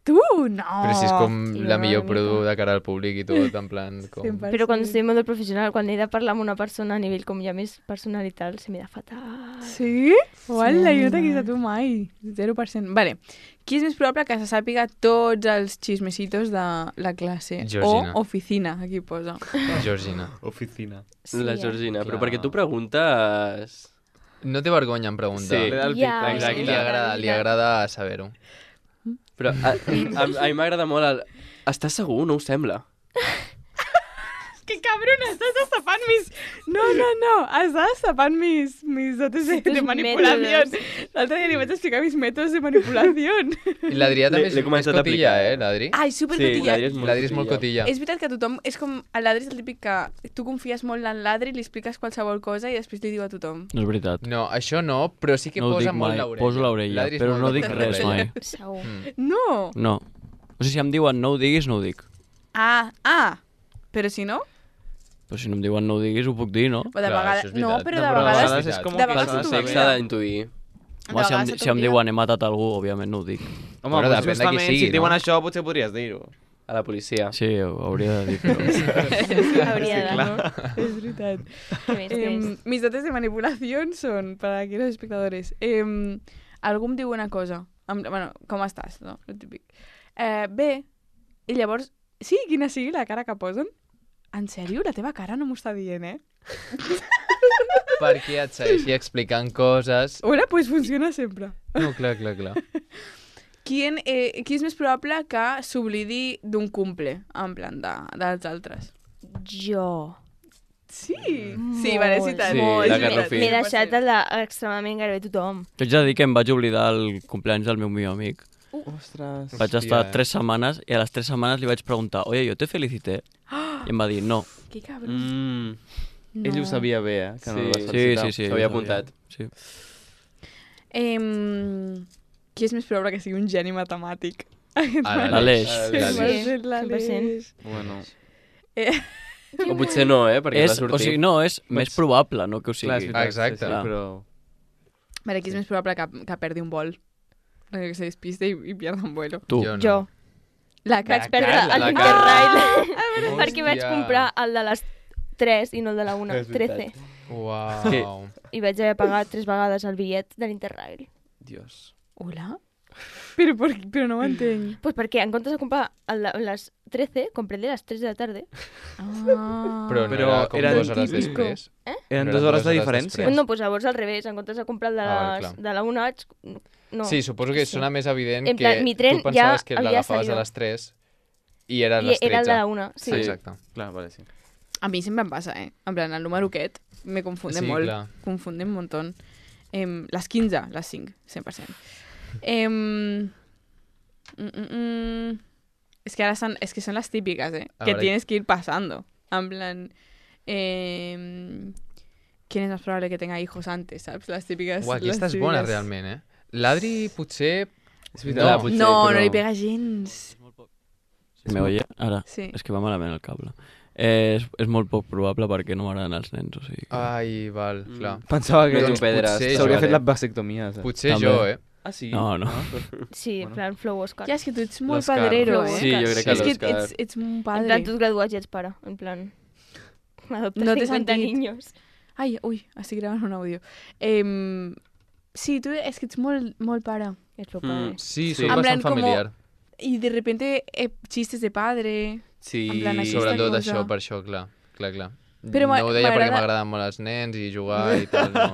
Speaker 3: Tu? No!
Speaker 5: Però si és com
Speaker 2: sí,
Speaker 5: la
Speaker 2: una
Speaker 5: millor
Speaker 2: mica.
Speaker 5: produ de cara al públic i tot, en plan... Com...
Speaker 3: 100%.
Speaker 2: Però quan estic en modo professional, quan he de parlar amb una persona a nivell com ja més personal i tal, se m'hi da fatal.
Speaker 3: Sí? Uala, jo no t'he vist a tu mai. 0%. Vale. Qui és més probable que se sàpiga tots els xismecitos de la classe?
Speaker 5: Georgina.
Speaker 3: O oficina, aquí posa.
Speaker 5: Georgina.
Speaker 6: Oficina.
Speaker 4: La Georgina. Però
Speaker 6: Clar.
Speaker 4: perquè tu preguntes...
Speaker 5: No té vergonya en preguntar.
Speaker 4: Sí.
Speaker 2: Ja,
Speaker 4: Exacte.
Speaker 5: Li agrada saber-ho.
Speaker 4: Però a mi m'agrada molt el... Estàs segur? No ho sembla.
Speaker 3: Que cabron, estàs destapant No, estàs tapant mis dotes de
Speaker 2: Tus
Speaker 3: manipulació.
Speaker 2: métodos.
Speaker 3: L'altre dia li vaig explicar mis métodos de manipulació.
Speaker 5: I l'Adrià també
Speaker 4: L'he
Speaker 5: és
Speaker 4: començat a
Speaker 5: cotilla,
Speaker 4: aplicar.
Speaker 5: l'Adri?
Speaker 3: Ai, supercotilla.
Speaker 5: L'Adri és molt cotilla.
Speaker 3: És veritat que tothom... És com... L'Adri és el típic que tu confies molt en l'Adri, li expliques qualsevol cosa i després li diu a tothom.
Speaker 7: No és veritat.
Speaker 5: No, això no, però sí que
Speaker 7: No ho
Speaker 5: posa
Speaker 7: dic
Speaker 5: molt
Speaker 7: mai.
Speaker 5: l'orella.
Speaker 7: Poso l'orella,
Speaker 5: L'Adri és
Speaker 7: però
Speaker 5: molt
Speaker 7: no
Speaker 5: de
Speaker 7: dic
Speaker 5: posar
Speaker 7: res
Speaker 5: l'orella.
Speaker 7: mai.
Speaker 2: Segur.
Speaker 3: No!
Speaker 7: No. O sigui, si em diuen no ho diguis, no ho dic.
Speaker 3: Però si no...
Speaker 7: Però si no em diuen no ho diguis, ho puc dir, no?
Speaker 3: O de
Speaker 5: Clar,
Speaker 3: vegades...
Speaker 5: això és
Speaker 3: No,
Speaker 5: veritat.
Speaker 3: però
Speaker 6: No,
Speaker 3: de
Speaker 6: però a
Speaker 3: vegades...
Speaker 6: vegades és com
Speaker 3: de
Speaker 6: que
Speaker 3: vegades
Speaker 6: s'ha
Speaker 3: se
Speaker 6: de
Speaker 4: Sí,
Speaker 3: t'oblida.
Speaker 4: s'ha d'intuir.
Speaker 7: Home, si em diuen he matat algú, òbviament no ho dic.
Speaker 6: Home,
Speaker 5: Però
Speaker 6: doncs
Speaker 5: depèn de qui
Speaker 6: justament,
Speaker 5: sigui,
Speaker 6: si et diuen
Speaker 5: no?
Speaker 6: això, potser podries dir-ho.
Speaker 4: A la policia.
Speaker 7: Sí, ho hauria de dir, però...
Speaker 2: Hauria de, no?
Speaker 3: És veritat.
Speaker 2: Què més tens?
Speaker 3: Mis dotes de manipulació són, per aquí los espectadores, algú em diu una cosa, bueno, com estàs, no? El típic. Bé, i llavors, sí, quina sigui la cara que posen, en sèrio, la teva cara no m'ho està dient,
Speaker 5: Perquè et segueixi explicant coses...
Speaker 3: Hola, pues funciona sempre.
Speaker 5: No, clar.
Speaker 3: Qui és més probable que s'oblidi d'un cumple, en plan dels altres?
Speaker 2: Jo.
Speaker 3: Sí, sí, vale, sí, tant.
Speaker 4: Sí,
Speaker 3: Molt,
Speaker 4: la
Speaker 3: sí,
Speaker 4: Garrofí.
Speaker 3: tant.
Speaker 2: M'he deixat el extremadament gairebé tothom.
Speaker 7: T'haig de dir que em vaig oblidar el compleanys del meu millor amic.
Speaker 6: Ostres.
Speaker 7: Vaig estar 3 setmanes i a les 3 setmanes li vaig preguntar «Oye, yo te felicité?» I em va dir «No».
Speaker 3: Que cabron.
Speaker 6: Ell ho sabia bé, que no el vas
Speaker 7: Sí,
Speaker 6: felicitar.
Speaker 7: sí, sí.
Speaker 4: S'havia
Speaker 7: ho sabia.
Speaker 4: apuntat.
Speaker 7: Sí.
Speaker 3: Qui és més probable que sigui un geni matemàtic?
Speaker 7: L'Aleix.
Speaker 3: L'Aleix.
Speaker 6: Bueno,
Speaker 4: O potser no, perquè
Speaker 7: És,
Speaker 4: va sortir.
Speaker 7: o sigui, no, és més probable, no que ho
Speaker 6: clar, és
Speaker 7: sigui.
Speaker 6: veritat,
Speaker 5: Exacte.
Speaker 6: sí, però...
Speaker 3: Vale, qui és més probable que perdi un vol? Que se despiste i pierda un vuelo.
Speaker 7: Tu.
Speaker 5: Jo no.
Speaker 2: Jo.
Speaker 3: La
Speaker 2: Vaig perdre
Speaker 5: Carla,
Speaker 2: el
Speaker 5: la
Speaker 2: Interrail perquè vaig
Speaker 5: Hòstia.
Speaker 2: comprar el de les 3 i no el de la 1,
Speaker 4: És veritat.
Speaker 2: 13.
Speaker 5: Uau.
Speaker 2: I vaig haver pagat 3 vegades el bitllet de l'Interrail.
Speaker 4: Dios.
Speaker 3: Hola? Però no ho entenc.
Speaker 2: Pues perquè en comptes de comprar el de les 13, compré el de les 3 de la tarda.
Speaker 5: Però no
Speaker 6: Però
Speaker 5: era com
Speaker 6: era
Speaker 5: 2 hores
Speaker 3: típico.
Speaker 5: després.
Speaker 6: Eren
Speaker 5: No
Speaker 6: 2
Speaker 5: eren
Speaker 6: hores de
Speaker 5: dues hores
Speaker 6: diferència.
Speaker 5: després.
Speaker 2: No, pues llavors al revés, en comptes de comprar el de,
Speaker 5: Ah,
Speaker 2: les,
Speaker 5: clar.
Speaker 2: de la 1 vaig... No.
Speaker 5: Sí, suposo que sona més evident
Speaker 2: En
Speaker 5: que
Speaker 2: plan, mi tren
Speaker 5: tu pensaves
Speaker 2: ja
Speaker 5: que
Speaker 2: havia
Speaker 5: l'agafaves
Speaker 2: salido.
Speaker 5: a les 3 i era a
Speaker 2: I
Speaker 5: les 13.
Speaker 2: era el de la 1, sí.
Speaker 5: Exacte.
Speaker 6: Clar, vale, sí.
Speaker 3: A mi sempre em passa, En plan, el número aquest me confunde
Speaker 5: Sí,
Speaker 3: molt.
Speaker 5: clar.
Speaker 3: Confunde un montón. Les 15, les 5, 100%. Es que ahora es que son las típicas,
Speaker 5: A
Speaker 3: que
Speaker 5: ver,
Speaker 3: tienes que ir pasando. En plan, ¿quién es más probable que tenga hijos antes? ¿Sabes? Las típicas.
Speaker 5: Uau, aquesta
Speaker 3: les
Speaker 5: és bona,
Speaker 3: típiques-
Speaker 5: realment, L'Adri potser...
Speaker 6: És
Speaker 5: No,
Speaker 6: veritat.
Speaker 4: potser,
Speaker 3: No,
Speaker 4: però-
Speaker 3: no li pega gens.
Speaker 7: Me oye? Ara.
Speaker 3: Sí.
Speaker 7: És que va malament el cable. És molt poc probable perquè no m'agraden els nens, o sigui...
Speaker 5: Ai, val, clar.
Speaker 6: Pensava que
Speaker 4: No
Speaker 5: Doncs
Speaker 4: t'ho perdràs.
Speaker 5: potser
Speaker 6: s'hauria
Speaker 5: jo,
Speaker 6: fet la vasectomia. saps?
Speaker 5: Potser
Speaker 7: També.
Speaker 5: jo,
Speaker 6: Ah, sí?
Speaker 7: No, no.
Speaker 2: Sí, en plan flow Oscar.
Speaker 3: Ja, és que tu ets molt
Speaker 6: L'Òscar.
Speaker 3: padrero,
Speaker 4: Sí, jo crec que
Speaker 3: És que
Speaker 4: l'Òscar.
Speaker 3: ets un
Speaker 2: En
Speaker 3: padre.
Speaker 2: plan, tus graduats ja ets pare. En plan, adoptes
Speaker 3: No t'he
Speaker 2: 50
Speaker 3: sentit.
Speaker 2: niños.
Speaker 3: Ai, ui, estic gravant un àudio. Sí, tu és que ets molt pare.
Speaker 2: Ets meu pare.
Speaker 5: Sí,
Speaker 4: Sí.
Speaker 5: soc
Speaker 3: En plan,
Speaker 5: bastant familiar.
Speaker 3: Y de repente chistes de padre.
Speaker 4: Sí.
Speaker 3: En plan, aquesta
Speaker 5: Sobretot
Speaker 3: cosa.
Speaker 5: això, per això, clar.
Speaker 3: Però
Speaker 5: no ho deia perquè
Speaker 3: m'agrada-
Speaker 5: m'agraden molt els nens i jugar i tal, no.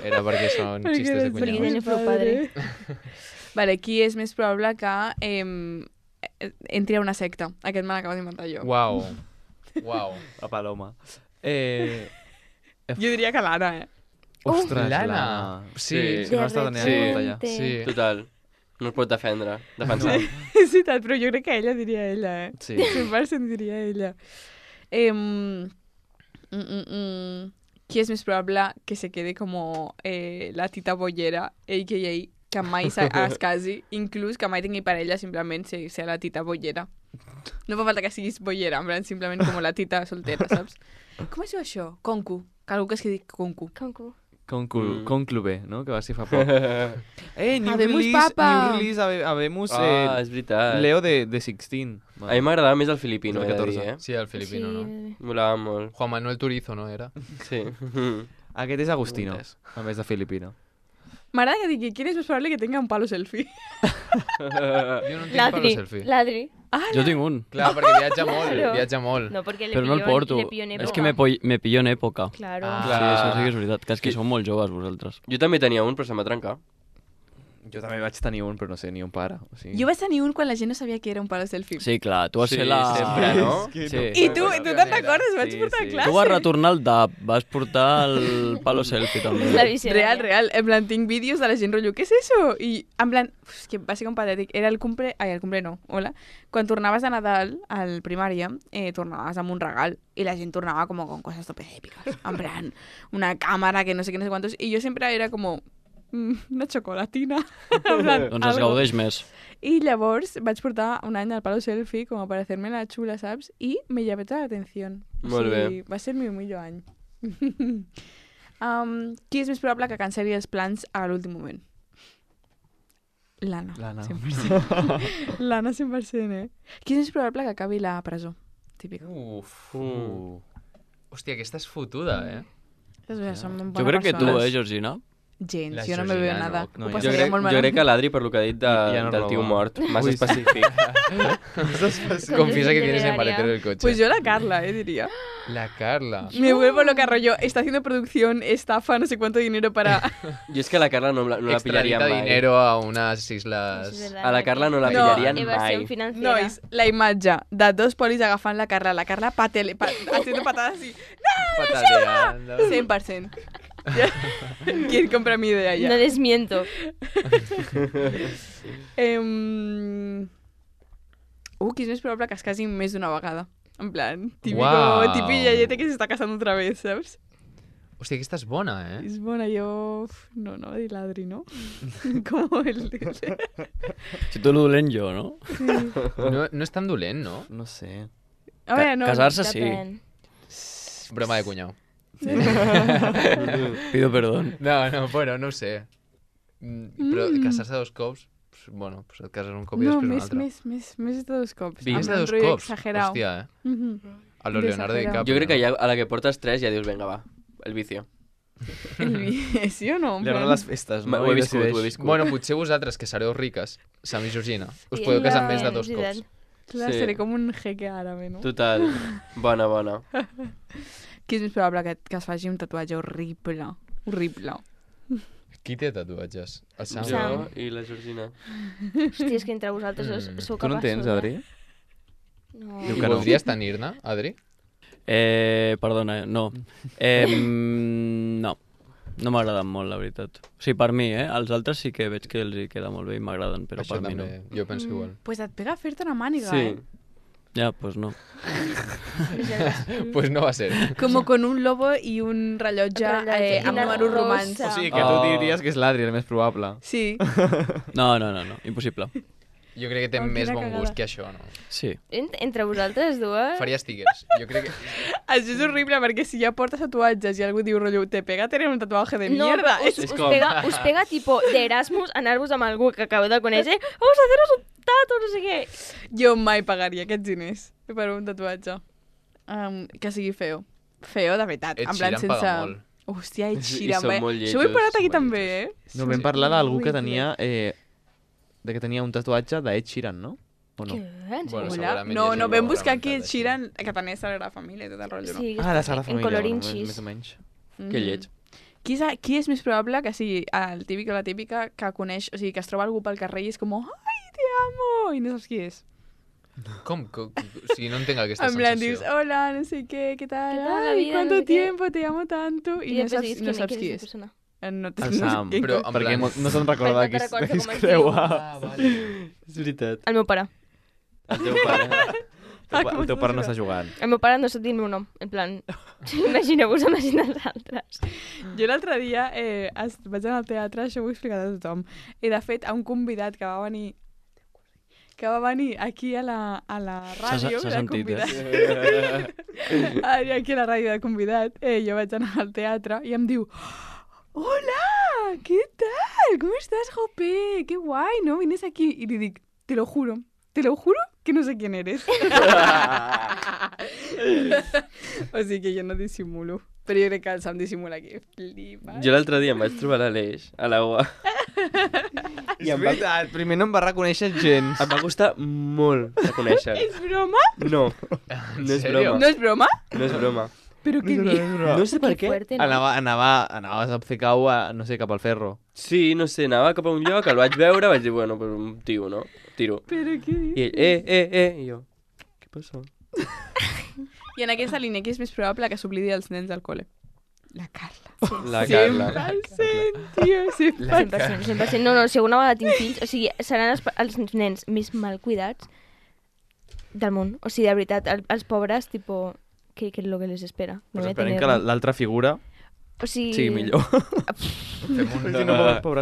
Speaker 5: Era perquè són
Speaker 3: Perquè
Speaker 5: xistes de
Speaker 3: eres
Speaker 2: Perquè
Speaker 5: cunyado.
Speaker 2: tens prou padre.
Speaker 3: Vale, qui és més probable que entri a una secta? Aquest me l'acabo d'inventar jo.
Speaker 5: Uau. Uau.
Speaker 6: La Paloma.
Speaker 3: Jo diria que l'Anna,
Speaker 6: Ostres,
Speaker 5: l'Anna. Sí.
Speaker 6: Sí, no està tenint
Speaker 4: Sí.
Speaker 6: en compte ja.
Speaker 5: Sí.
Speaker 4: Total. No es pot defensar.
Speaker 3: És veritat, però jo crec que ella diria ella,
Speaker 6: Sí.
Speaker 3: 100% diria ella. Qui és més probable que se quede como la tita bollera, a.k.a. que mai es casi, inclús que mai tingui parella, simplement ser la tita bollera. No fa falta que siguis bollera, en plan, simplement com la tita soltera, saps? Com es diu això? Concu. Que algú que es digui concu.
Speaker 2: Concu.
Speaker 6: Conclube, no? Que va ser fa poc. New
Speaker 3: Habemos
Speaker 6: release,
Speaker 3: papa.
Speaker 6: New release, habemos
Speaker 4: És veritat.
Speaker 6: Leo de 16.
Speaker 4: A mi m'agradava més el filipino,
Speaker 6: El
Speaker 4: he de
Speaker 6: 14.
Speaker 4: dir,
Speaker 5: Sí, el filipino, no?
Speaker 4: Molava molt.
Speaker 5: Juan Manuel Turizo, no era?
Speaker 4: Sí.
Speaker 6: Aquest és Agustino,
Speaker 4: Preguntes.
Speaker 6: a més de filipino.
Speaker 3: M'agrada que digui, ¿quién es más probable que tenga un palo selfie?
Speaker 5: Jo no en tinc per
Speaker 2: Ladri.
Speaker 5: selfie.
Speaker 2: Ladri.
Speaker 7: Jo tinc un,
Speaker 5: Clar, perquè viatja molt,
Speaker 2: Claro.
Speaker 5: viatja molt.
Speaker 2: No, porque
Speaker 7: però no el porto.
Speaker 2: Le pilló en
Speaker 7: És
Speaker 2: época.
Speaker 7: que me pillo en època.
Speaker 2: Claro.
Speaker 5: Ah.
Speaker 7: Sí, això sí que és veritat. Que és que sou molt joves, vosaltres.
Speaker 4: Jo també tenia un, però se m'ha trencat.
Speaker 6: Jo també vaig tenir un, però no sé, ni un pare. O sigui...
Speaker 3: Jo vaig tenir un quan la gent no sabia que era un palo selfie.
Speaker 7: Sí, clar, tu vas
Speaker 4: Sí,
Speaker 7: ser la...
Speaker 4: sempre, no?
Speaker 7: Sí.
Speaker 3: I tu te'n recordes? Vaig portar a classe.
Speaker 7: Tu vas retornar el DAP, vas portar el palo selfie també.
Speaker 2: La visionària.
Speaker 3: Real. En plan, tinc vídeos de la gent rotllo, què és això? I en plan, és que va ser com patètic. Era el cumple... Ai, el cumple no, hola. Quan tornaves de Nadal al primària, tornaves amb un regal i la gent tornava com con cosas tope épicas. En plan, una càmera que no sé què, no sé quantos. I jo sempre era com... una xocolatina. En plan,
Speaker 7: Doncs es gaudeix més.
Speaker 3: I llavors vaig portar un any al palo selfie com a parecerme la xula, saps? I me llamé tota l'atenció.
Speaker 4: Molt bé.
Speaker 3: Va ser el meu millor any. Qui és més probable que cancel·li els plans a l'últim moment? L'Anna. 100%. L'Anna 100%, Qui és més probable que acabi la presó? Típica.
Speaker 5: Hòstia, aquesta és fotuda,
Speaker 7: Jo crec que tu, Georgina?
Speaker 3: Gens,
Speaker 5: La
Speaker 3: jo no me veo
Speaker 5: Georgina,
Speaker 3: nada.
Speaker 6: no,
Speaker 3: Ho
Speaker 6: jo
Speaker 4: Jo
Speaker 3: passaria molt
Speaker 4: crec
Speaker 3: malament.
Speaker 4: que l'Adri, per lo que ha dit
Speaker 6: Ja no
Speaker 4: del tio
Speaker 6: roba.
Speaker 4: mort, massa específic.
Speaker 5: Confiesa que tienes el
Speaker 2: Literaria.
Speaker 5: maletero del coche.
Speaker 3: Pues yo la Carla, diría.
Speaker 5: La Carla.
Speaker 3: Me vuelvo loca, rollo. Está haciendo producción, estafa, no sé cuánto dinero para...
Speaker 4: Jo és que la Carla no la pillaria
Speaker 5: Extradita
Speaker 4: mai.
Speaker 5: dinero a unas islas...
Speaker 4: A la Carla no la
Speaker 3: No,
Speaker 4: pillarien
Speaker 2: evasión
Speaker 4: mai.
Speaker 2: financiera.
Speaker 3: Nois, la imatge de dos polis agafant la Carla haciendo patadas así.
Speaker 5: Pataleando.
Speaker 3: 100%. ¿Quién compra mi idea ya?
Speaker 2: No desmiento.
Speaker 3: Qui és més probable que es casin més d'una vegada? En plan,
Speaker 5: Uau.
Speaker 3: típico yayete que se está casando otra vez, ¿sabes?
Speaker 5: Hòstia, aquesta és bona,
Speaker 3: És bona, jo... No, va dir l'Adri, no? Com el...
Speaker 7: Si tu lo dolent jo, no?
Speaker 5: No és tan dolent, no?
Speaker 6: No sé.
Speaker 3: A veure, no...
Speaker 7: Casar-se sí.
Speaker 2: Depèn.
Speaker 5: Broma de cunyau.
Speaker 7: Pido perdón.
Speaker 5: No, bueno, no ho sé. Però casar-se dos cops, pues, bueno, pues et cases un cop i
Speaker 3: No,
Speaker 5: després un altre.
Speaker 3: més de dos cops.
Speaker 5: Més
Speaker 3: Amb
Speaker 5: de
Speaker 3: un
Speaker 5: dos
Speaker 3: rotllo
Speaker 5: cops?
Speaker 3: Exagerado.
Speaker 5: Hòstia, A lo
Speaker 3: De
Speaker 5: Leonardo
Speaker 3: exagerado.
Speaker 5: DiCaprio.
Speaker 4: Jo crec que ja a la que portes 3 ja dius, venga, va, el vicio.
Speaker 3: ¿Sí o no? En
Speaker 6: Li
Speaker 3: plan-
Speaker 6: agraden les festes, no?
Speaker 4: Ho he
Speaker 6: I
Speaker 4: viscut,
Speaker 6: decideix.
Speaker 4: ho he viscut.
Speaker 5: Bueno, potser vosaltres, que sereu riques, Sam i Georgina, us
Speaker 2: Sí,
Speaker 5: podeu casar amb
Speaker 2: ja,
Speaker 5: més de dos
Speaker 2: és
Speaker 5: cops.
Speaker 2: veritat.
Speaker 3: Clar,
Speaker 4: Sí.
Speaker 3: seré com un jeque àrabe, no?
Speaker 4: Total. Bona.
Speaker 3: Qui és més probable que es faci un tatuatge horrible? Horrible.
Speaker 5: Qui té tatuatges? El Sam?
Speaker 4: Jo i la Georgina.
Speaker 2: Hòstia, és que entre vosaltres sou capaços.
Speaker 6: Tu no en tens, Adri?
Speaker 2: No.
Speaker 6: Diu
Speaker 5: I
Speaker 6: que no.
Speaker 5: voldries tenir-ne, Adri?
Speaker 7: Perdona, no. No. No m'agraden molt, la veritat. O sigui, per mi, Els altres sí que veig que els hi queda molt bé i m'agraden, però
Speaker 5: Això
Speaker 7: per mi no.
Speaker 5: també, jo penso igual.
Speaker 3: Pues et pega fer-te una màniga,
Speaker 4: Sí.
Speaker 7: Ja, doncs no.
Speaker 5: Pues no va ser.
Speaker 3: Como con un lobo i un rellotge
Speaker 2: Rellotge.
Speaker 3: amb
Speaker 2: Una
Speaker 3: números
Speaker 2: rosa.
Speaker 3: romans.
Speaker 6: O sigui, que tu diries que és l'Adri, el més probable.
Speaker 3: Sí.
Speaker 7: No, impossible.
Speaker 5: Jo crec que té
Speaker 3: Oh,
Speaker 5: més
Speaker 3: quina
Speaker 5: bon
Speaker 3: cagada.
Speaker 5: gust que això, no?
Speaker 7: Sí.
Speaker 2: Entre vosaltres dues...
Speaker 5: Faria stickers. Jo crec que...
Speaker 3: Això és horrible, perquè si ja portes tatuatges i algú diu, rotllo, te pega tener un tatuaje de mierda.
Speaker 2: Us,
Speaker 4: És
Speaker 2: us,
Speaker 4: com-
Speaker 2: us pega tipo d'Erasmus anar-vos amb algú que acabeu de conèixer. Vamos a haceros un tatu, no sé què.
Speaker 3: Jo mai pagaria aquests diners per un tatuatge. Que sigui feo. Feo, de veritat.
Speaker 5: Ed
Speaker 3: En plan,
Speaker 5: Sheeran paga
Speaker 3: sense...
Speaker 5: molt.
Speaker 3: Hòstia, Ed
Speaker 4: I
Speaker 3: Sheeran.
Speaker 4: són
Speaker 3: eh?
Speaker 4: molt
Speaker 3: Això ho he
Speaker 4: lletjos,
Speaker 3: parat aquí
Speaker 4: molt
Speaker 3: també,
Speaker 6: No, vam parlar d'algú que
Speaker 3: horrible.
Speaker 6: tenia... de que tenia un tatuatge d'Ed Sheeran, no? O no?
Speaker 2: Què? En
Speaker 5: Bueno,
Speaker 2: sèrio?
Speaker 3: Hola?
Speaker 5: segurament
Speaker 3: No,
Speaker 5: hi
Speaker 3: no,
Speaker 5: ha
Speaker 3: vam
Speaker 5: gent
Speaker 3: buscar
Speaker 5: que
Speaker 3: aquí Ed
Speaker 5: m'ha
Speaker 3: Sheeran, que tenia Sagrada Família i tot el rotllo, no?
Speaker 2: Sí,
Speaker 6: Ah, la Sagrada
Speaker 2: en
Speaker 6: Família.
Speaker 2: colorinxis.
Speaker 6: Més o menys.
Speaker 4: Que lleig.
Speaker 3: Qui és més probable que sigui el típic o la típica que coneix, o sigui, que es troba algú pel carrer i és com, ai, te amo, i no saps qui és.
Speaker 5: Com? O sigui, no entenc aquesta
Speaker 3: En plan, dius,
Speaker 5: sensació.
Speaker 3: hola, no sé qué tal,
Speaker 2: ¿Qué tal la
Speaker 3: ay,
Speaker 2: vida?
Speaker 3: cuánto
Speaker 2: No sé qué.
Speaker 3: tiempo, te amo tanto, i no
Speaker 2: després
Speaker 3: saps,
Speaker 2: dius,
Speaker 3: no saps
Speaker 2: és
Speaker 3: qui
Speaker 2: la
Speaker 3: és.
Speaker 2: persona?
Speaker 3: No,
Speaker 6: El Sam.
Speaker 3: qui-
Speaker 5: Però, en
Speaker 6: Perquè
Speaker 5: plan...
Speaker 6: no se'n recorda
Speaker 2: Perquè
Speaker 6: qui
Speaker 2: no
Speaker 6: es,
Speaker 2: recorda
Speaker 6: qui es
Speaker 2: com es
Speaker 6: creu.
Speaker 2: diu.
Speaker 5: Ah, vale.
Speaker 6: És veritat.
Speaker 2: El meu pare.
Speaker 4: El teu pare.
Speaker 6: El teu pare no està jugant.
Speaker 2: El meu pare no sap dir el meu nom. En plan, imagineu-vos amb els altres.
Speaker 3: Jo l'altre dia vaig anar al teatre, això ho he explicat a tothom, i de fet a un convidat que va venir aquí a la ràdio,
Speaker 7: S'ha
Speaker 3: de
Speaker 7: sentit,
Speaker 3: convidat. Aquí a la ràdio de convidat, jo vaig anar al teatre i em diu, hola, ¿qué tal? ¿Cómo estás, Jope? Qué guay, ¿no? Vienes aquí. Y le dic, te lo juro que no sé quién eres. O sigui que jo no dissimulo. Però jo crec que el Sam dissimula aquí. Flipa.
Speaker 4: Jo l'altre dia em vaig trobar a l'Aleix, a la UA.
Speaker 6: I és veritat, primer no em va reconèixer gens.
Speaker 4: Em va costar molt de conèixer.
Speaker 3: És broma?
Speaker 4: No, no és
Speaker 5: sèrio?
Speaker 4: broma.
Speaker 3: No és broma?
Speaker 4: No és broma.
Speaker 3: Però què dius?
Speaker 4: No sé per què.
Speaker 2: Fuerte, no?
Speaker 6: Anaves a fer cau, no sé, cap al ferro.
Speaker 4: Sí, no sé, anava cap a un lloc, el vaig veure, vaig dir, bueno, pues un tio, no? Tiro.
Speaker 3: Però què dius?
Speaker 4: I ell, i jo, què passa?
Speaker 3: I en aquesta línia, qui és més probable que s'oblidi els nens del col·le? La Carla.
Speaker 4: La Carla.
Speaker 3: 100%, tio, 100%.
Speaker 2: 100%, 100%. No, si alguna vegada tinc fills, o sigui, seran els nens més mal cuidats del món. O sigui, de veritat, els pobres, tipo, què és lo que les espera?
Speaker 6: Pues esperem que l'altra figura
Speaker 2: O sigui...
Speaker 6: sigui millor.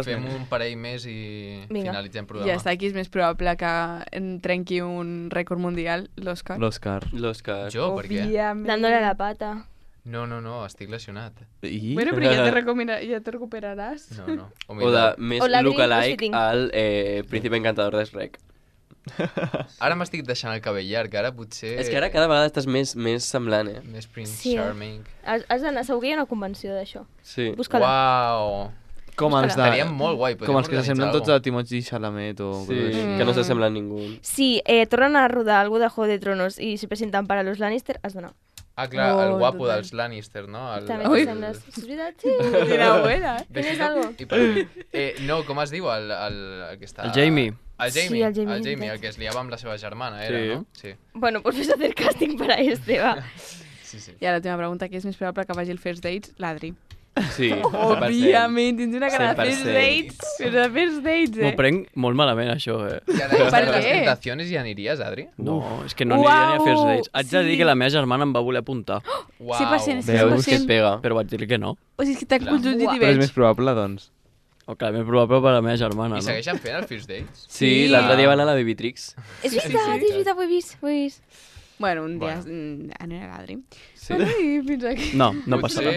Speaker 5: Fem un parell més i
Speaker 2: Vinga.
Speaker 5: finalitzem programa.
Speaker 3: Ja està, qui és més probable que trenqui un rècord mundial? L'Òscar.
Speaker 4: L'Òscar.
Speaker 5: Jo, per què?
Speaker 3: Òbviament.
Speaker 2: Dándole la pata.
Speaker 5: No, estic lesionat.
Speaker 6: I?
Speaker 3: Bueno, però ja te recuperaràs.
Speaker 5: No.
Speaker 4: O de més
Speaker 2: O l'Adri
Speaker 4: lookalike
Speaker 2: crossfitting.
Speaker 4: al Príncipe Encantador de Shrek.
Speaker 5: Ara m'estic deixant el cabell llarg, ara potser...
Speaker 4: És que ara cada vegada estàs més semblant, eh?
Speaker 5: Més Prince
Speaker 2: Sí,
Speaker 5: Charming.
Speaker 2: Has d'anar, segur que hi ha una convenció d'això.
Speaker 4: Sí.
Speaker 2: Busca-la.
Speaker 5: Uau!
Speaker 6: Com els
Speaker 5: Estaria molt guai.
Speaker 6: Com els que s'assemblen tots
Speaker 5: a...
Speaker 6: a Timothée Chalamet o...
Speaker 4: Sí,
Speaker 6: coses així.
Speaker 4: que no s'assembla a ningú.
Speaker 2: Sí, tornen a rodar algo de Juego de Tronos i se presenten para los Lannister, has d'anar.
Speaker 5: Ah, clar,
Speaker 3: Oh,
Speaker 5: el guapo
Speaker 3: total.
Speaker 5: dels Lannister, no?
Speaker 2: També
Speaker 3: Ui.
Speaker 2: t'assembles. És veritat? Sí.
Speaker 3: Quina buena.
Speaker 2: Tienes algo?
Speaker 5: No, com es diu el que està...
Speaker 7: El Jamie.
Speaker 5: El
Speaker 2: Sí,
Speaker 5: Jamie,
Speaker 2: el Jamie,
Speaker 5: el
Speaker 2: veritat.
Speaker 5: que es liava amb la seva germana, era,
Speaker 6: Sí.
Speaker 5: no? Sí.
Speaker 2: Bueno, pues ves a hacer casting para este, va.
Speaker 5: Sí.
Speaker 3: I ara l'última pregunta, qui és més probable que vagi al First Dates? L'Adri.
Speaker 4: Sí, 100%.
Speaker 3: Òbviament, tens una cara de
Speaker 4: 100%.
Speaker 3: First Dates. Però de First Dates,
Speaker 7: M'ho prenc molt malament, això,
Speaker 5: I a la
Speaker 3: Per
Speaker 5: de les
Speaker 3: què?
Speaker 5: tentacions hi aniries, Adri?
Speaker 7: No, és que no aniria ni a First Dates. Haig de
Speaker 3: sí.
Speaker 7: dir que la meva germana em va voler apuntar,
Speaker 5: Uau.
Speaker 3: 100%, sí.
Speaker 4: Veus que
Speaker 3: 100%.
Speaker 4: et pega.
Speaker 7: però vaig dir que no.
Speaker 3: O sigui, és que t'han conjuntit i
Speaker 6: Però és
Speaker 3: veig.
Speaker 6: més probable, doncs.
Speaker 7: O que més probable per a la meva germana,
Speaker 5: I
Speaker 7: no?
Speaker 5: segueixen fent el First Dates?
Speaker 4: Sí, l'altre dia van a la Babytrix.
Speaker 2: És veritat, ho he vist, ho he vist.
Speaker 3: Bueno, un dia anirà l'Adri. Bueno, i fins aquí.
Speaker 7: No, no passarà.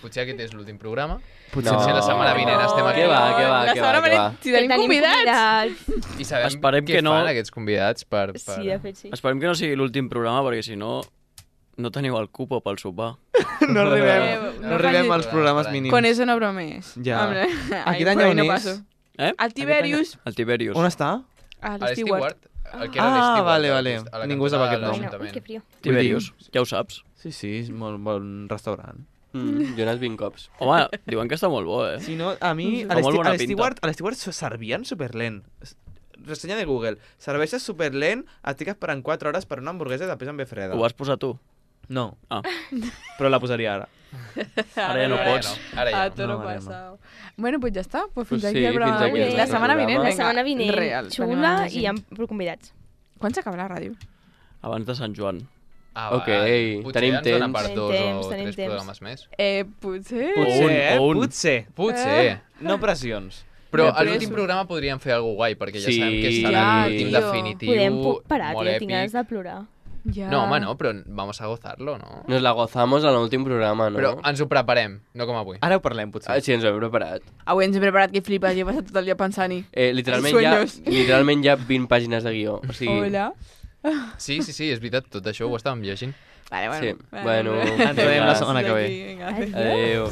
Speaker 5: Potser aquest és l'últim programa.
Speaker 4: Potser
Speaker 5: Potser la setmana vinent estem aquí.
Speaker 4: Què va, què va,
Speaker 3: La
Speaker 4: què va,
Speaker 3: setmana
Speaker 4: què va?
Speaker 3: vinent, si tenim convidats.
Speaker 5: I sabem
Speaker 7: Esperem
Speaker 5: què
Speaker 7: que no.
Speaker 5: fan aquests convidats per...
Speaker 2: Sí, de fet, sí.
Speaker 7: Esperem que no sigui l'últim programa, perquè si no, no teniu el cupo pel sopar.
Speaker 6: No
Speaker 3: no
Speaker 6: arribem
Speaker 3: facis-
Speaker 6: als programes mínims.
Speaker 3: Con eso no bromees.
Speaker 6: Ja.
Speaker 3: Hombre,
Speaker 6: Aquest any
Speaker 3: por ahí
Speaker 6: on
Speaker 3: no
Speaker 6: és?
Speaker 3: paso.
Speaker 7: Eh?
Speaker 3: Al Tiberius.
Speaker 7: El Tiberius.
Speaker 6: On està?
Speaker 3: A
Speaker 5: A
Speaker 3: l'Stewart.
Speaker 5: el que era
Speaker 6: Ah,
Speaker 5: l'Stewart,
Speaker 6: vale,
Speaker 5: a la
Speaker 6: vale.
Speaker 5: costa- a la
Speaker 6: Ningú
Speaker 5: cantonada
Speaker 6: sap aquest
Speaker 5: de
Speaker 6: nom.
Speaker 2: Bueno,
Speaker 5: l'Ajuntament.
Speaker 2: que frío.
Speaker 7: Tiberius, ja ho saps.
Speaker 6: Sí, és molt bon restaurant.
Speaker 4: Jo he anat 20 cops.
Speaker 7: Home, diuen que està molt bo, eh?
Speaker 6: Si no, a mi,
Speaker 7: Fa molt bona pinta.
Speaker 6: a l'Stewart servien superlent. Ressenya de Google. Serveixes superlent, et fiques esperant 4 hores per una hamburguesa i després en ve freda.
Speaker 7: Ho vas posar tu?
Speaker 6: No,
Speaker 7: Ah,
Speaker 6: però la posaria ara.
Speaker 7: ara ja no pots.
Speaker 5: Ara ja
Speaker 3: A
Speaker 5: no.
Speaker 3: todo
Speaker 6: No, vale,
Speaker 3: pasado. Bueno, pues ja està. Pues fins
Speaker 4: Pues
Speaker 3: aquí
Speaker 4: sí,
Speaker 3: el programa
Speaker 4: fins aquí
Speaker 3: d'avui.
Speaker 2: el
Speaker 3: La setmana
Speaker 4: programa.
Speaker 3: vinent,
Speaker 2: La
Speaker 3: vinga.
Speaker 2: setmana vinent,
Speaker 3: Real.
Speaker 2: xula i amb convidats.
Speaker 3: Quan s'acaba la ràdio?
Speaker 7: Abans de Sant Joan.
Speaker 5: Ah,
Speaker 4: Ok,
Speaker 5: potser
Speaker 4: tenim
Speaker 5: ens dona
Speaker 4: temps.
Speaker 5: per
Speaker 2: Tenim
Speaker 5: 2
Speaker 2: temps,
Speaker 5: o
Speaker 2: tenim
Speaker 5: 3
Speaker 2: temps.
Speaker 5: programes més.
Speaker 3: Potser...
Speaker 6: Potser,
Speaker 7: o un.
Speaker 6: potser.
Speaker 5: Potser.
Speaker 6: No pressions.
Speaker 5: Però
Speaker 3: Ja,
Speaker 5: a
Speaker 3: però
Speaker 5: l'últim
Speaker 3: és-
Speaker 5: programa podríem fer alguna guai, perquè ja
Speaker 4: Sí.
Speaker 5: sabem que serà
Speaker 3: Ja,
Speaker 5: l'últim
Speaker 3: tio.
Speaker 5: definitiu,
Speaker 2: Podem parar,
Speaker 5: molt
Speaker 2: tio, tinc ganes
Speaker 5: èpic.
Speaker 2: de plorar.
Speaker 3: Ja.
Speaker 5: No, home, no, però vamos a gozarlo, no?
Speaker 4: Nos la gozamos en l'últim programa, no?
Speaker 5: Però ens ho preparem, no com avui.
Speaker 6: Ara ho parlem, potser.
Speaker 4: Ah, sí, ens ho hem preparat.
Speaker 3: Avui ens he preparat que flipes i he passat tot el dia pensant-hi.
Speaker 4: Literalment,
Speaker 3: Sueños.
Speaker 4: hi ha 20 pàgines de guió. O sigui,
Speaker 3: Hola.
Speaker 5: Sí, és veritat, tot això ho estàvem llegint.
Speaker 3: Vale, bueno.
Speaker 4: Sí, bueno,
Speaker 6: ens veiem la setmana que ve.
Speaker 3: Vinga,
Speaker 4: adéu.